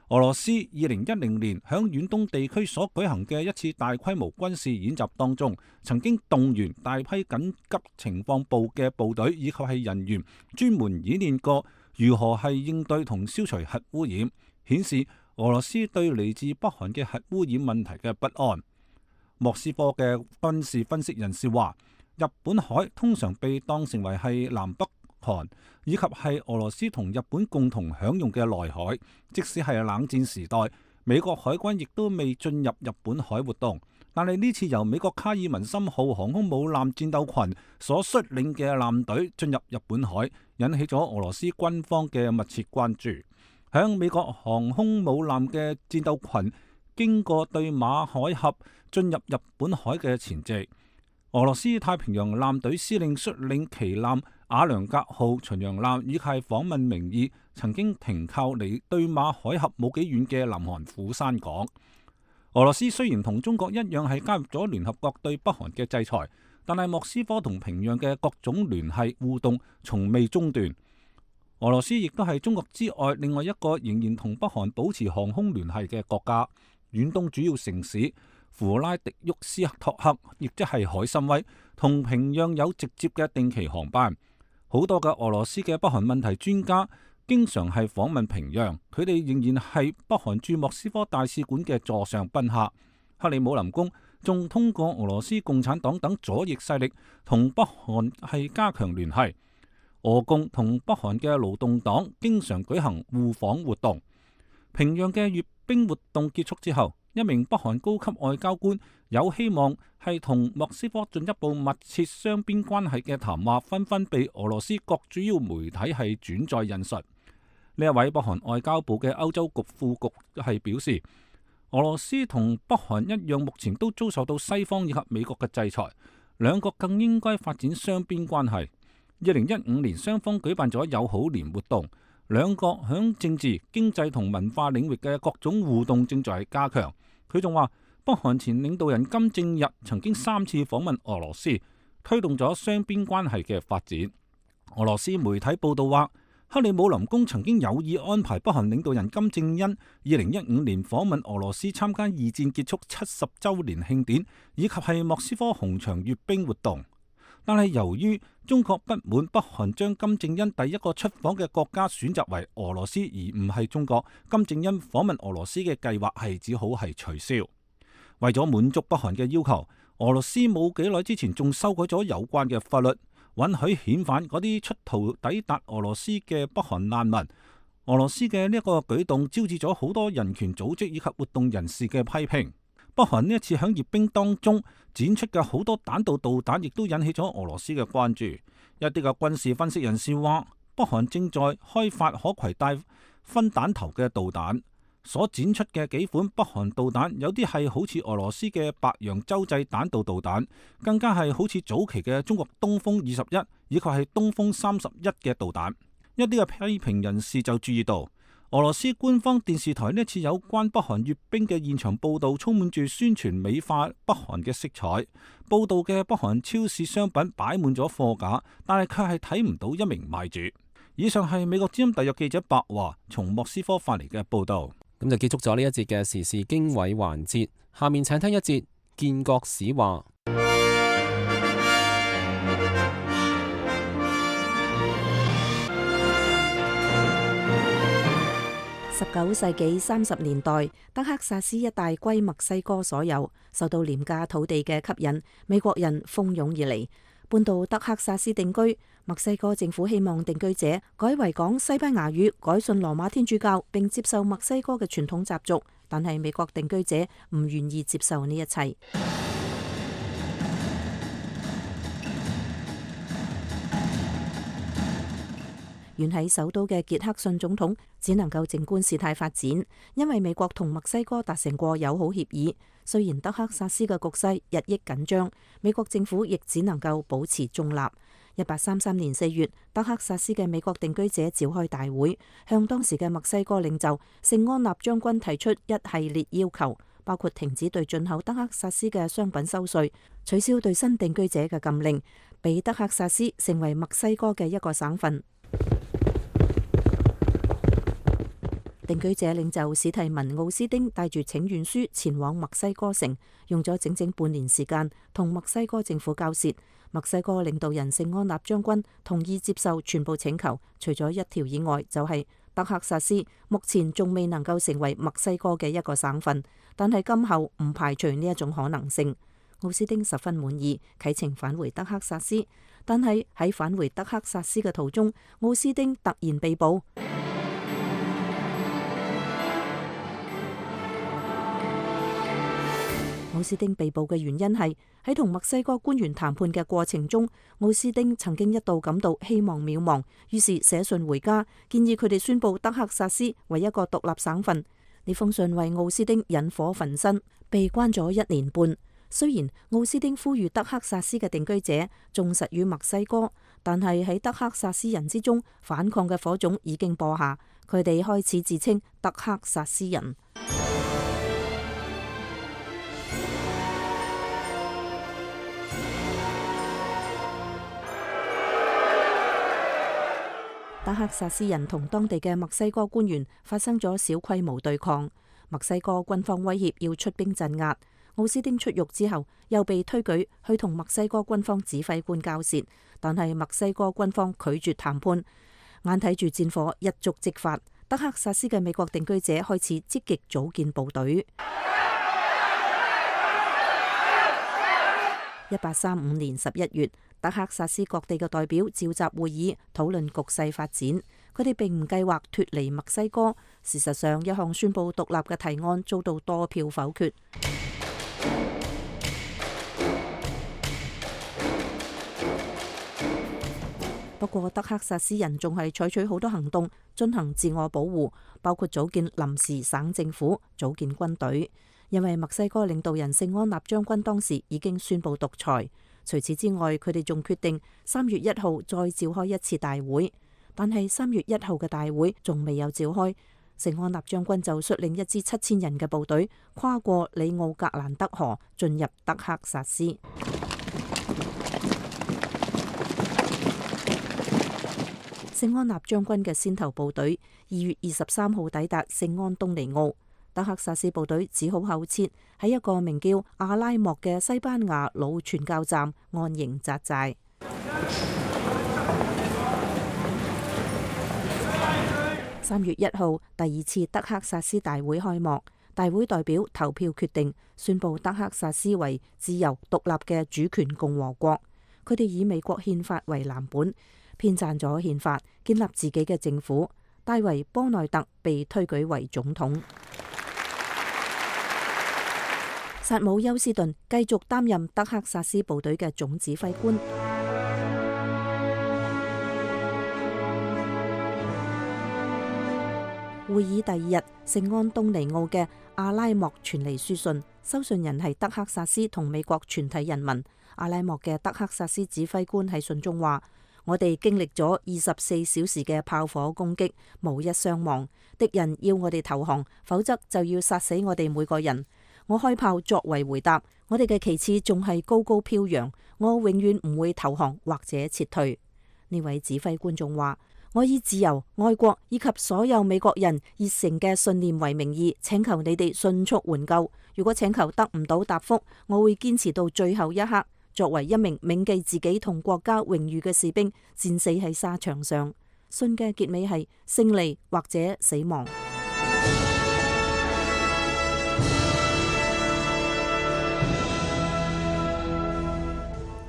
俄羅斯2010年響遠東地區所舉行嘅一次大規模軍事演習當中，曾經動員大批緊急情況部嘅部隊以及係人員，專門演練過如何係應對同消除核污染，顯示俄羅斯對嚟自北韓嘅核污染問題嘅不安。莫斯科嘅軍事分析人士話，日本海通常被當成為係南北韓以及係俄羅斯同日本共同享用嘅內海，即使係冷戰時代，美國海軍亦都未進入日本海活動。但係呢次由美國卡爾文森號航空母艦戰鬥群所率領嘅艦隊進入日本海，引起咗俄羅斯軍方嘅密切關注。響美國航空母艦嘅戰鬥群經過對馬海峽進入日本海嘅前夕，俄羅斯太平洋艦隊司令率領旗艦瓦良格號巡洋艦以及訪問名義曾經停靠離對馬海峽冇幾遠嘅南韓釜山港。俄羅斯雖然同中國一樣係加入咗聯合國對北韓嘅制裁，但係莫斯科同平壤嘅各種聯繫互動從未中斷。俄羅斯亦都係中國之外另外一個仍然同北韓保持航空聯繫嘅國家。遠東主要城市弗拉迪沃斯托克，亦即係海參崴，同平壤有直接嘅定期航班。好多嘅俄羅斯嘅北韓問題專家經常係訪問平壤，佢哋仍然係北韓駐莫斯科大使館嘅座上賓客。克里姆林宮仲通過俄羅斯共產黨等左翼勢力同北韓係加強聯繫。俄共同北韓嘅勞動黨經常舉行互訪活動。平壤嘅閱兵活動結束之後，一名北韓高級外交官有希望係同莫斯科進一步密切雙邊關係嘅談話，紛紛被俄羅斯各主要媒體係轉載引述。呢一位北韓外交部嘅歐洲局副局係表示，俄羅斯同北韓一樣，目前都遭受到西方以及美國嘅制裁，兩國更應該發展雙邊關係。2015年雙方舉辦咗友好年活動，兩國響政治、經濟同文化領域嘅各種互動正在加強。佢仲話，北韓前領導人金正日曾經3次訪問俄羅斯，推動咗雙邊關係嘅發展。俄羅斯媒體報道話，克里姆林宮曾經有意安排北韓領導人金正恩2015年訪問俄羅斯參加二戰結束70週年慶典，以及係莫斯科紅場閱兵活動。但係由於中國不滿北韓將金正恩第一個出訪嘅國家選擇為俄羅斯而唔係中國，金正恩訪問俄羅斯嘅計劃係只好係取消。為咗滿足北韓嘅要求，俄羅斯冇幾耐之前仲修改咗有關嘅法律，允許遣返嗰啲出逃抵達俄羅斯嘅北韓難民。俄羅斯嘅呢一個舉動招致咗好多人權組織以及活動人士嘅批評。北韓呢一次喺閱兵當中展出嘅好多彈道導彈，亦都引起咗俄羅斯嘅關注。一啲嘅軍事分析人士話，北韓正在開發可攜帶分彈頭嘅導彈，所展出嘅幾款北韓導彈，有啲係好似俄羅斯嘅白楊洲際彈道導彈，更加係好似早期嘅中國東風21以及係東風31嘅導彈。一啲嘅批評人士就注意到，俄羅斯官方電視台呢次有關北韓閱兵嘅現場報導，充滿住宣傳美化北韓嘅色彩。報導嘅北韓超市商品擺滿咗貨架，但係卻係睇唔到一名賣主。以上係美國之音特約記者白華從莫斯科發嚟嘅報導。咁就結束咗呢一節嘅時事經緯環節。下面請聽一節建國史話。19世紀30年代，德克薩斯一帶歸墨西哥所有，受到廉價土地嘅吸引，美國人蜂擁而嚟，搬到德克薩斯定居。墨西哥政府希望定居者改為講西班牙語，改信羅馬天主教，並接受墨西哥嘅傳統習俗，但係美國定居者唔願意接受呢一切。遠喺首都嘅傑克遜總統只能夠靜觀事態發展，因為美國同墨西哥達成過友好協議。雖然德克薩斯嘅局勢日益緊張，美國政府亦只能夠保持中立。1833年4月，德克薩斯嘅美國定居者召開大會，向當時嘅墨西哥領袖聖安納將軍提出一系列要求，包括停止對進口德克薩斯嘅商品收稅，取消對新定居者嘅禁令，俾德克薩斯成為墨西哥嘅一個省份。定居者領袖史提文奧斯丁帶住請願書前往墨西哥城，用咗整整半年時間同墨西哥政府交涉。墨西哥領導人聖安納將軍同意接受全部請求，除咗一條以外，就係德克薩斯目前仲未能夠成為墨西哥嘅一個省份，但係今後唔排除呢一種可能性。奧斯丁十分滿意，啟程返回德克薩斯，但係喺返回德克薩斯嘅途中，奧斯丁突然被捕。奧斯丁被捕嘅原因係喺同墨西哥官員談判嘅過程中，奧斯丁曾經一度感到希望渺茫，於是寫信回家，建議佢哋宣布德克薩斯為一個獨立省份。呢封信為奧斯丁引火焚身，被關咗1年半。雖然奧斯丁呼籲德克薩斯嘅定居者忠實於墨西哥，但係喺德克薩斯人之中，反抗嘅火種已經播下，佢哋開始自稱德克薩斯人。德克薩斯人同當地嘅墨西哥官員發生咗小規模對抗，墨西哥軍方威脅要出兵鎮壓。奧斯丁出獄之後，又被推舉去同墨西哥軍方指揮官交涉，但係墨西哥軍方拒絕談判。眼睇住戰火一觸即發，德克薩斯嘅美國定居者開始積極組建部隊。1835年11月，德克薩斯各地嘅代表召集會議，討論局勢發展。佢哋並唔計劃脫離墨西哥。事實上，一項宣布獨立嘅提案遭到多票否決。不過，德克薩斯人仲係採取好多行動進行自我保護，包括組建臨時省政府、組建軍隊。因為墨西哥領導人聖安納將軍當時已經宣布獨裁。除此之外，佢哋仲決定3月1號再召開一次大會。但係3月1號嘅大會仲未有召開，聖安納將軍就率領一支7000人嘅部隊跨過里奧格蘭德河進入德克薩斯。聖安納將軍嘅先頭部隊2月23號抵達聖安東尼奧。德克薩斯部隊只好後撤，喺一個名叫阿拉莫嘅西班牙老傳教站安營紮寨。3月1號，第2次德克薩斯大會開幕，大會代表投票決定宣布德克薩斯為自由獨立嘅主權共和國。佢哋以美國憲法為藍本，編撰咗憲法，建立自己嘅政府。戴維·波內特被推舉為總統。薩姆·休斯頓繼續擔任德克薩斯部隊嘅總指揮官。會議第2日，聖安東尼奧嘅阿拉莫傳嚟書信，收信人係德克薩斯同美國全體人民。阿拉莫嘅德克薩斯指揮官喺信中話：我哋經歷咗24小時嘅炮火攻擊，無一傷亡。敵人要我哋投降，否則就要殺死我哋每個人。我開炮作為回答，我哋嘅旗幟仲係高高飄揚，我永遠唔會投降或者撤退。呢位指揮官仲話：我以自由、愛國以及所有美國人熱誠嘅信念為名義，請求你哋迅速援救。如果請求得唔到答覆，我會堅持到最後一刻，作為一名銘記自己同國家榮譽嘅士兵，戰死喺沙場上。信嘅結尾係勝利或者死亡。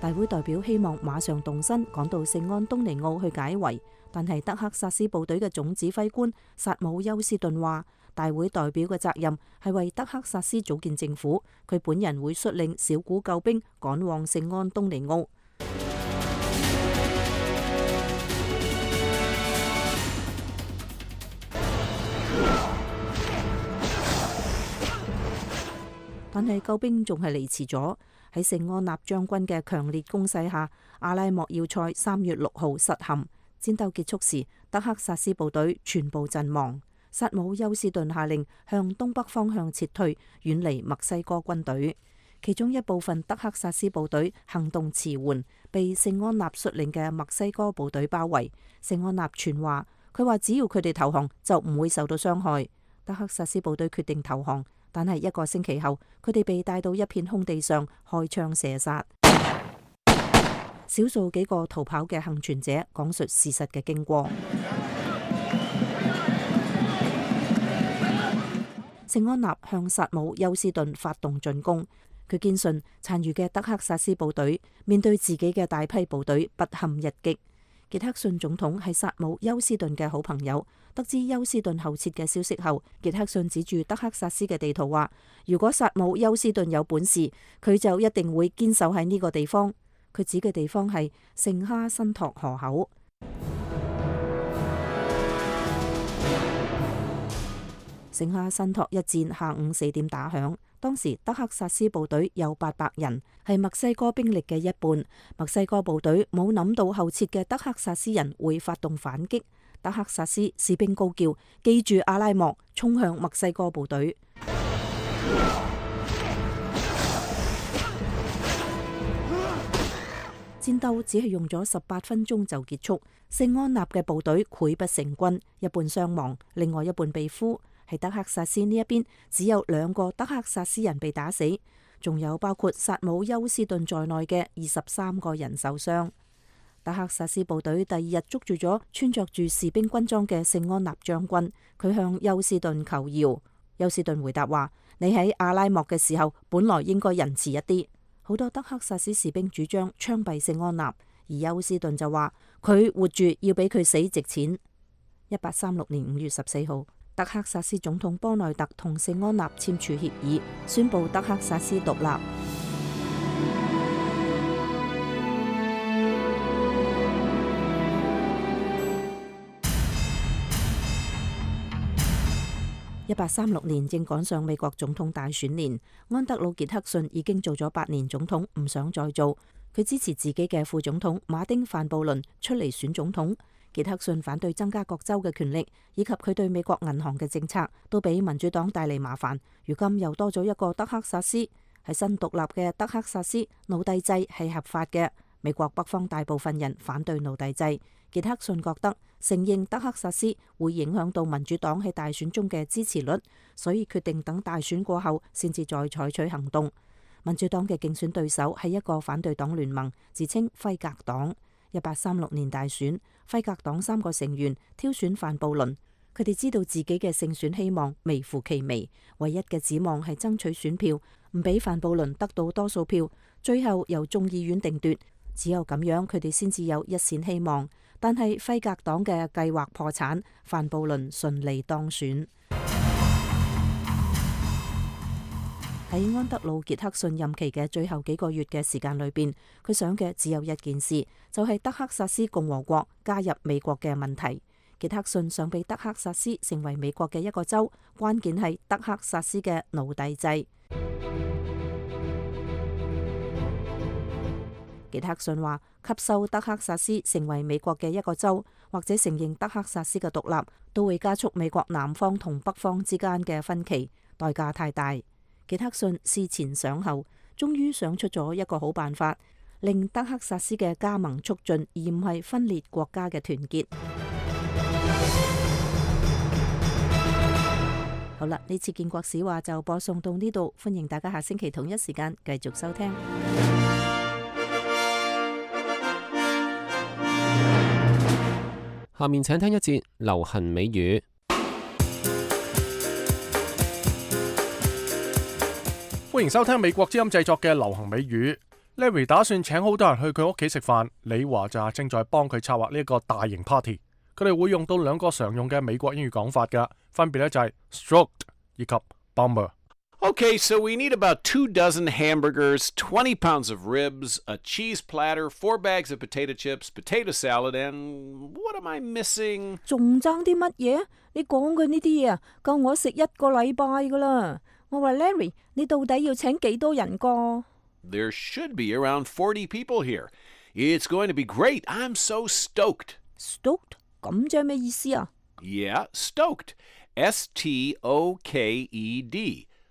大會代表希望馬上動身趕到聖安東尼奧去解圍，但係德克薩斯部隊嘅總指揮官薩姆休斯頓話，大會代表嘅責任係為德克薩斯組建政府，佢本人會率領小股救兵趕往聖安東尼奧。但係救兵仲係嚟遲咗。喺聖安納將軍嘅強烈攻勢下，阿拉莫要塞3月6號失陷。戰鬥結束時，德克薩斯部隊全部陣亡。薩姆休斯頓下令向東北方向撤退，遠離墨西哥軍隊。其中一部分德克薩斯部隊行動遲緩，被聖安納率領嘅墨西哥部隊包圍。聖安納傳話，佢話只要佢哋投降，就唔會受到傷害。德克薩斯部隊決定投降。但係1個星期後，佢哋被帶到一片空地上開槍射殺。少數幾個逃跑嘅幸存者講述事實嘅經過。聖安納向薩姆休斯頓發動進攻，佢堅信殘餘嘅德克薩斯部隊面對自己嘅大批部隊不堪一擊。傑克遜總統係薩姆休斯頓嘅好朋友，得知休斯頓後撤嘅消息後，傑克遜指住德克薩斯嘅地圖話：如果薩姆休斯頓有本事，佢就一定會堅守喺呢個地方。佢指嘅地方係聖哈辛托河口。聖哈辛托一戰下午4點打響，當時德克薩斯部隊有800人，係墨西哥兵力嘅一半。墨西哥部隊冇諗到後撤嘅德克薩斯人會發動反擊。德克薩斯士兵高叫：記住阿拉莫，衝向墨西哥部隊。戰鬥只係用咗18分鐘就結束。聖安納嘅部隊潰不成軍，一半傷亡，另外一半被俘。喺德克薩斯呢一邊，只有2個德克薩斯人被打死，仲有包括薩姆休斯頓在內嘅23個人受傷。德克薩斯部隊第2日捉住咗穿着住士兵軍裝嘅聖安納將軍，佢向休斯頓求饒。休斯頓回答話：你喺阿拉莫嘅時候，本來應該仁慈一啲。好多德克薩斯士兵主張槍斃聖安納，而休斯頓就話佢活住要比佢死值錢。1836年5月14號，德克薩斯總統波內特同聖安納簽署協議，宣布德克薩斯獨立。1836年正趕上美國總統大選年，安德魯傑克遜已經做咗8年總統，唔想再做。佢支持自己嘅副總統馬丁范布倫出嚟選總統。傑克遜反對增加各州嘅權力，以及佢對美國銀行嘅政策，都俾民主黨帶嚟麻煩。如今又多咗一個德克薩斯，喺新獨立嘅德克薩斯，奴隸制係合法嘅。美國北方大部分人反對奴隸制。傑克遜覺得承認德克薩斯會影響到民主黨喺大選中嘅支持率，所以決定等大選過後先至再採取行動。民主黨嘅競選對手係一個反對黨聯盟，自稱輝格黨。1836年大選，輝格黨3個成員挑選范布倫，佢哋知道自己嘅勝選希望微乎其微，唯一嘅指望係爭取選票，唔俾范布倫得到多數票，最後由眾議院定奪。只有咁樣，佢哋先至有一線希望。但係輝格黨嘅計劃破產，范布倫順利當選。喺安德魯傑克遜任期嘅最後幾個月嘅時間裏邊，佢想嘅只有一件事，就係德克薩斯共和國加入美國嘅問題。傑克遜想俾德克薩斯成為美國嘅一個州，關鍵係德克薩斯嘅奴隸制。傑克遜話：吸收德克薩斯成為美國嘅一個州，或者承認德克薩斯嘅獨立，都會加速美國南方同北方之間嘅分歧，代價太大。傑克遜思前想後，終於想出咗一個好辦法，令德克薩斯嘅加盟促進，而唔係分裂國家嘅團結。好啦，呢次建國史話就播送到呢度，歡迎大家下星期同一時間繼續收聽。下面請聽一節流行美語。歡迎收聽美國之音製作嘅流行美語。Larry 打算請好多人去佢屋企食飯，李華就正在幫佢策劃呢一個大型 party。佢哋會用到2個常用嘅美國英語講法㗎，分別咧就係 stroked 以及 bummer。Okay, so we need about 24 hamburgers, 20 pounds of ribs, a cheese platter, 4 bags of potato chips, potato salad, and what am I missing? 仲爭啲乜嘢？你講嘅呢啲嘢啊，夠我食1個禮拜噶啦。我話 Larry， 你到底要請幾多人個？ There should be around 40 people here. It's going to be great. I'm so stoked. Stoked？ 咁即係咩意思啊？ Yeah, stoked. S-T-O-K-E-D.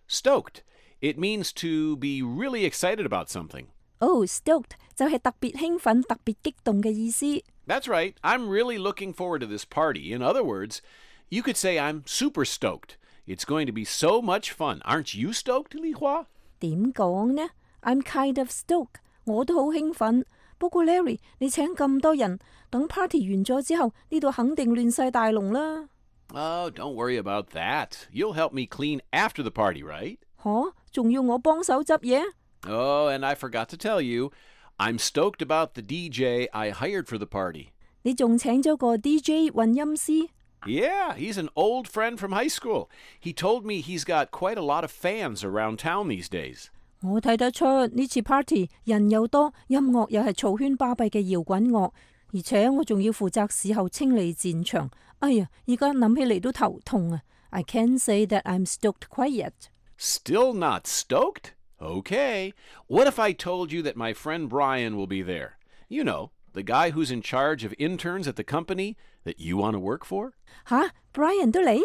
Stoked. It means to be really excited about something. Oh, stoked 就係特別興奮、特別激動嘅意思。That's right. I'm really looking forward to this party. In other words, you could say I'm super stoked. It's going to be so much fun. Aren't you stoked, Li Hua? 點講呢？ I'm kind of stoked. 我都好興奮。不過 Larry， 你請咁多人，等 party 完咗之後，呢度肯定亂晒大龍啦。Oh, don't worry about that. You'll help me clean after the party, right? 吓，仲要我幫手執嘢？ Oh, and I forgot to tell you, I'm stoked about the DJ I hired for the party. 你仲請咗個 DJ 混音師？ Yeah, he's an old friend from high school. He told me he's got quite a lot of fans around town these days. 我睇得出呢次 party 人又多，音樂又係嘈喧巴閉嘅搖滾樂，而且我仲要負責事後清理戰場。哎呀，而家諗起嚟都頭痛啊！ I can't say that I'm stoked quite yet. Still not stoked? Okay. What if I told you that my friend Brian will be there? You know, the guy who's in charge of interns at the company that you want to work for? 吓 ，Brian 都嚟？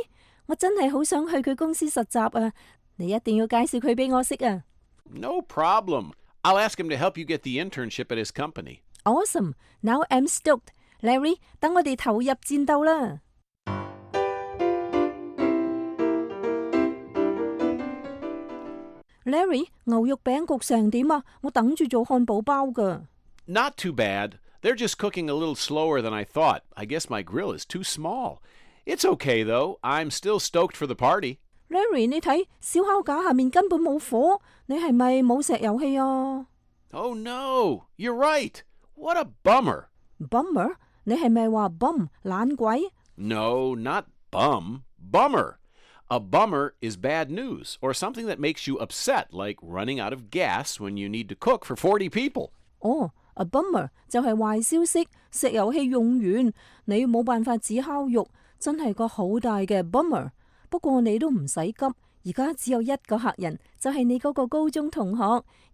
我真係好想去佢公司實習啊！你一定要介紹佢俾我識啊！ No problem. I'll ask him to help you get the internship at his company. Awesome. Now I'm stoked. Larry，等我哋投入戰鬥啦！ Larry， 牛肉餅焗成點啊？我等住做漢堡包㗎。 Not too bad. They're just cooking a little slower than I thought. I guess my grill is too small. It's okay though. I'm still stoked for the party. Larry， 你睇燒烤架下面根本冇火，你係咪冇石油氣啊？ Oh no, you're right. What a bummer. Bummer？ 你係咪話 bum 懶鬼？ No, not bum. Bummer. A bummer is bad news or something that makes you upset, like running out of gas when you need to cook for 40 people. 哦，a bummer 就係壞消息，石油氣用完，你冇辦法煮烤肉，真係個好大嘅 bummer。不過你都唔使急，而家只有一個客人，就係你嗰個高中同學，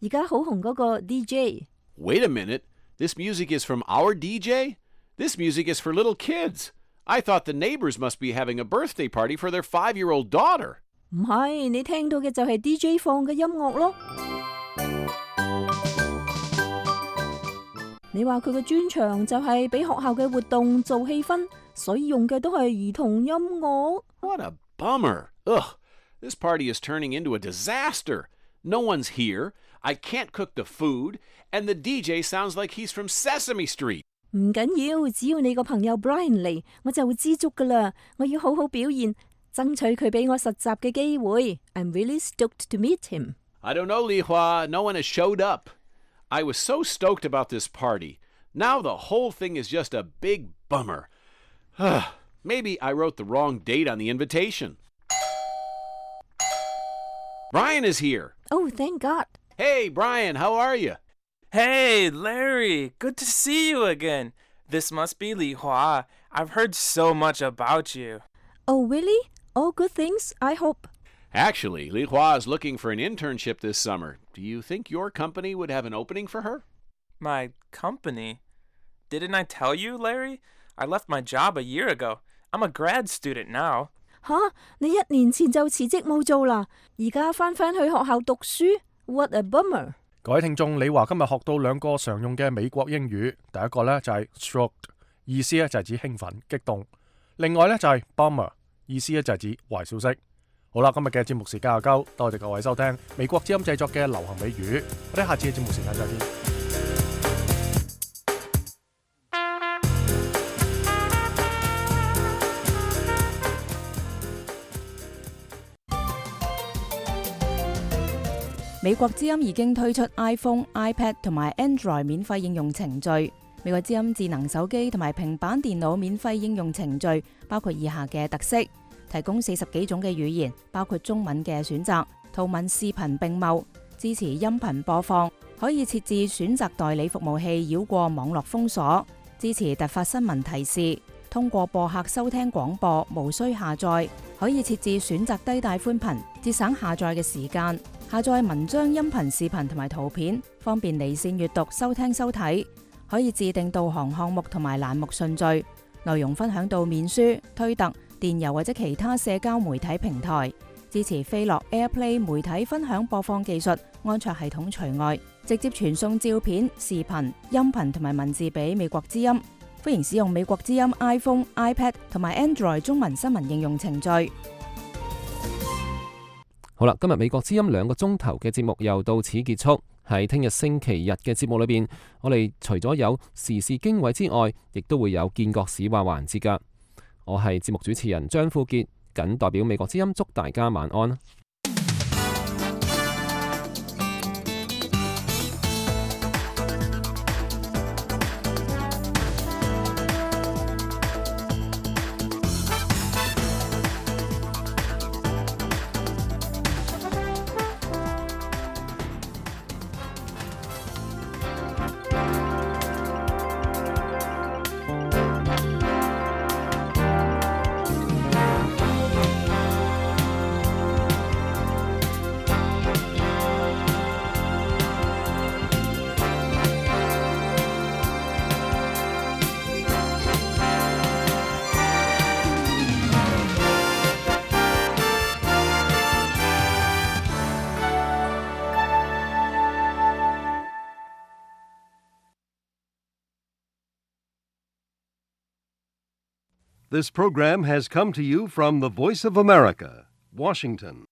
而家好紅嗰個 DJ。 Wait a minute. This music is from our DJ? This music is for little kids. I thought the neighbors must be having a birthday party for their 5-year-old daughter. 唔係，你聽到嘅就係 DJ 放嘅音樂咯。你話佢嘅專長就係俾學校嘅活動做氣氛，所以用嘅都係兒童音樂。 What a bummer. Ugh, this party is turning into a disaster. No one's here. I can't cook the food, and the DJ sounds like he's from Sesame Street. 唔緊要，只要你個朋友 Brian 嚟，我就會知足噶啦。我要好好表現，爭取佢俾我實習嘅機會。I'm really stoked to meet him. I don't know, Li Hua. No one has showed up. I was so stoked about this party. Now the whole thing is just a big bummer. Maybe I wrote the wrong date on the invitation. Brian is here. Oh, thank God. Hey, Brian, how are you? Hey, Larry, good to see you again. This must be Li Hua. I've heard so much about you. Oh, really? All good things, I hope. Actually, Li Hua is looking for an internship this summer. Do you think your company would have an opening for her? My company? Didn't I tell you, Larry? I left my job a year ago. I'm a grad student now. 吓，你1年前就辭職冇做啦，而家返去學校讀書 ？What a bummer！ 各位聽眾，李華今日學到2個常用嘅美國英語，第一個呢就係 stoked， 意思呢就係指興奮、激動；另外呢就係 bummer， 意思呢就係指壞消息。好啦，今日嘅節目時間又夠，多謝各位收聽美國之音製作嘅流行美語，我哋下次嘅節目時間再見。美國之音已經推出 iPhone、iPad 同埋 Android 免費應用程序。美國之音智能手機同埋平板電腦免費應用程序包括以下嘅特色：提供40幾種嘅語言，包括中文嘅選擇，圖文視頻並茂，支持音頻播放，可以設置選擇代理服務器繞過網絡封鎖，支持突發新聞提示，通過播客收聽廣播，無需下載，可以設置選擇低帶寬頻，節省下載嘅時間。下載文章、音頻、視頻同埋圖片，方便離線閱讀、收聽收睇。可以自定導航項目同埋欄目順序，內容分享到面書、推特、電郵或者其他社交媒體平台。支持飛樂 AirPlay 媒體分享播放技術，安卓系統除外。直接傳送照片、視頻、音頻同埋文字俾美國之音。歡迎使用美國之音 iPhone、iPad 同埋 Android 中文新聞應用程序。好啦，今日美國之音2個鐘頭嘅節目又到此結束。喺聽日星期日嘅節目裏邊，我哋除咗有時事經緯之外，亦都會有見國史話環節噶。我係節目主持人張富傑，謹代表美國之音祝大家晚安。This program has come to you from the Voice of America, Washington.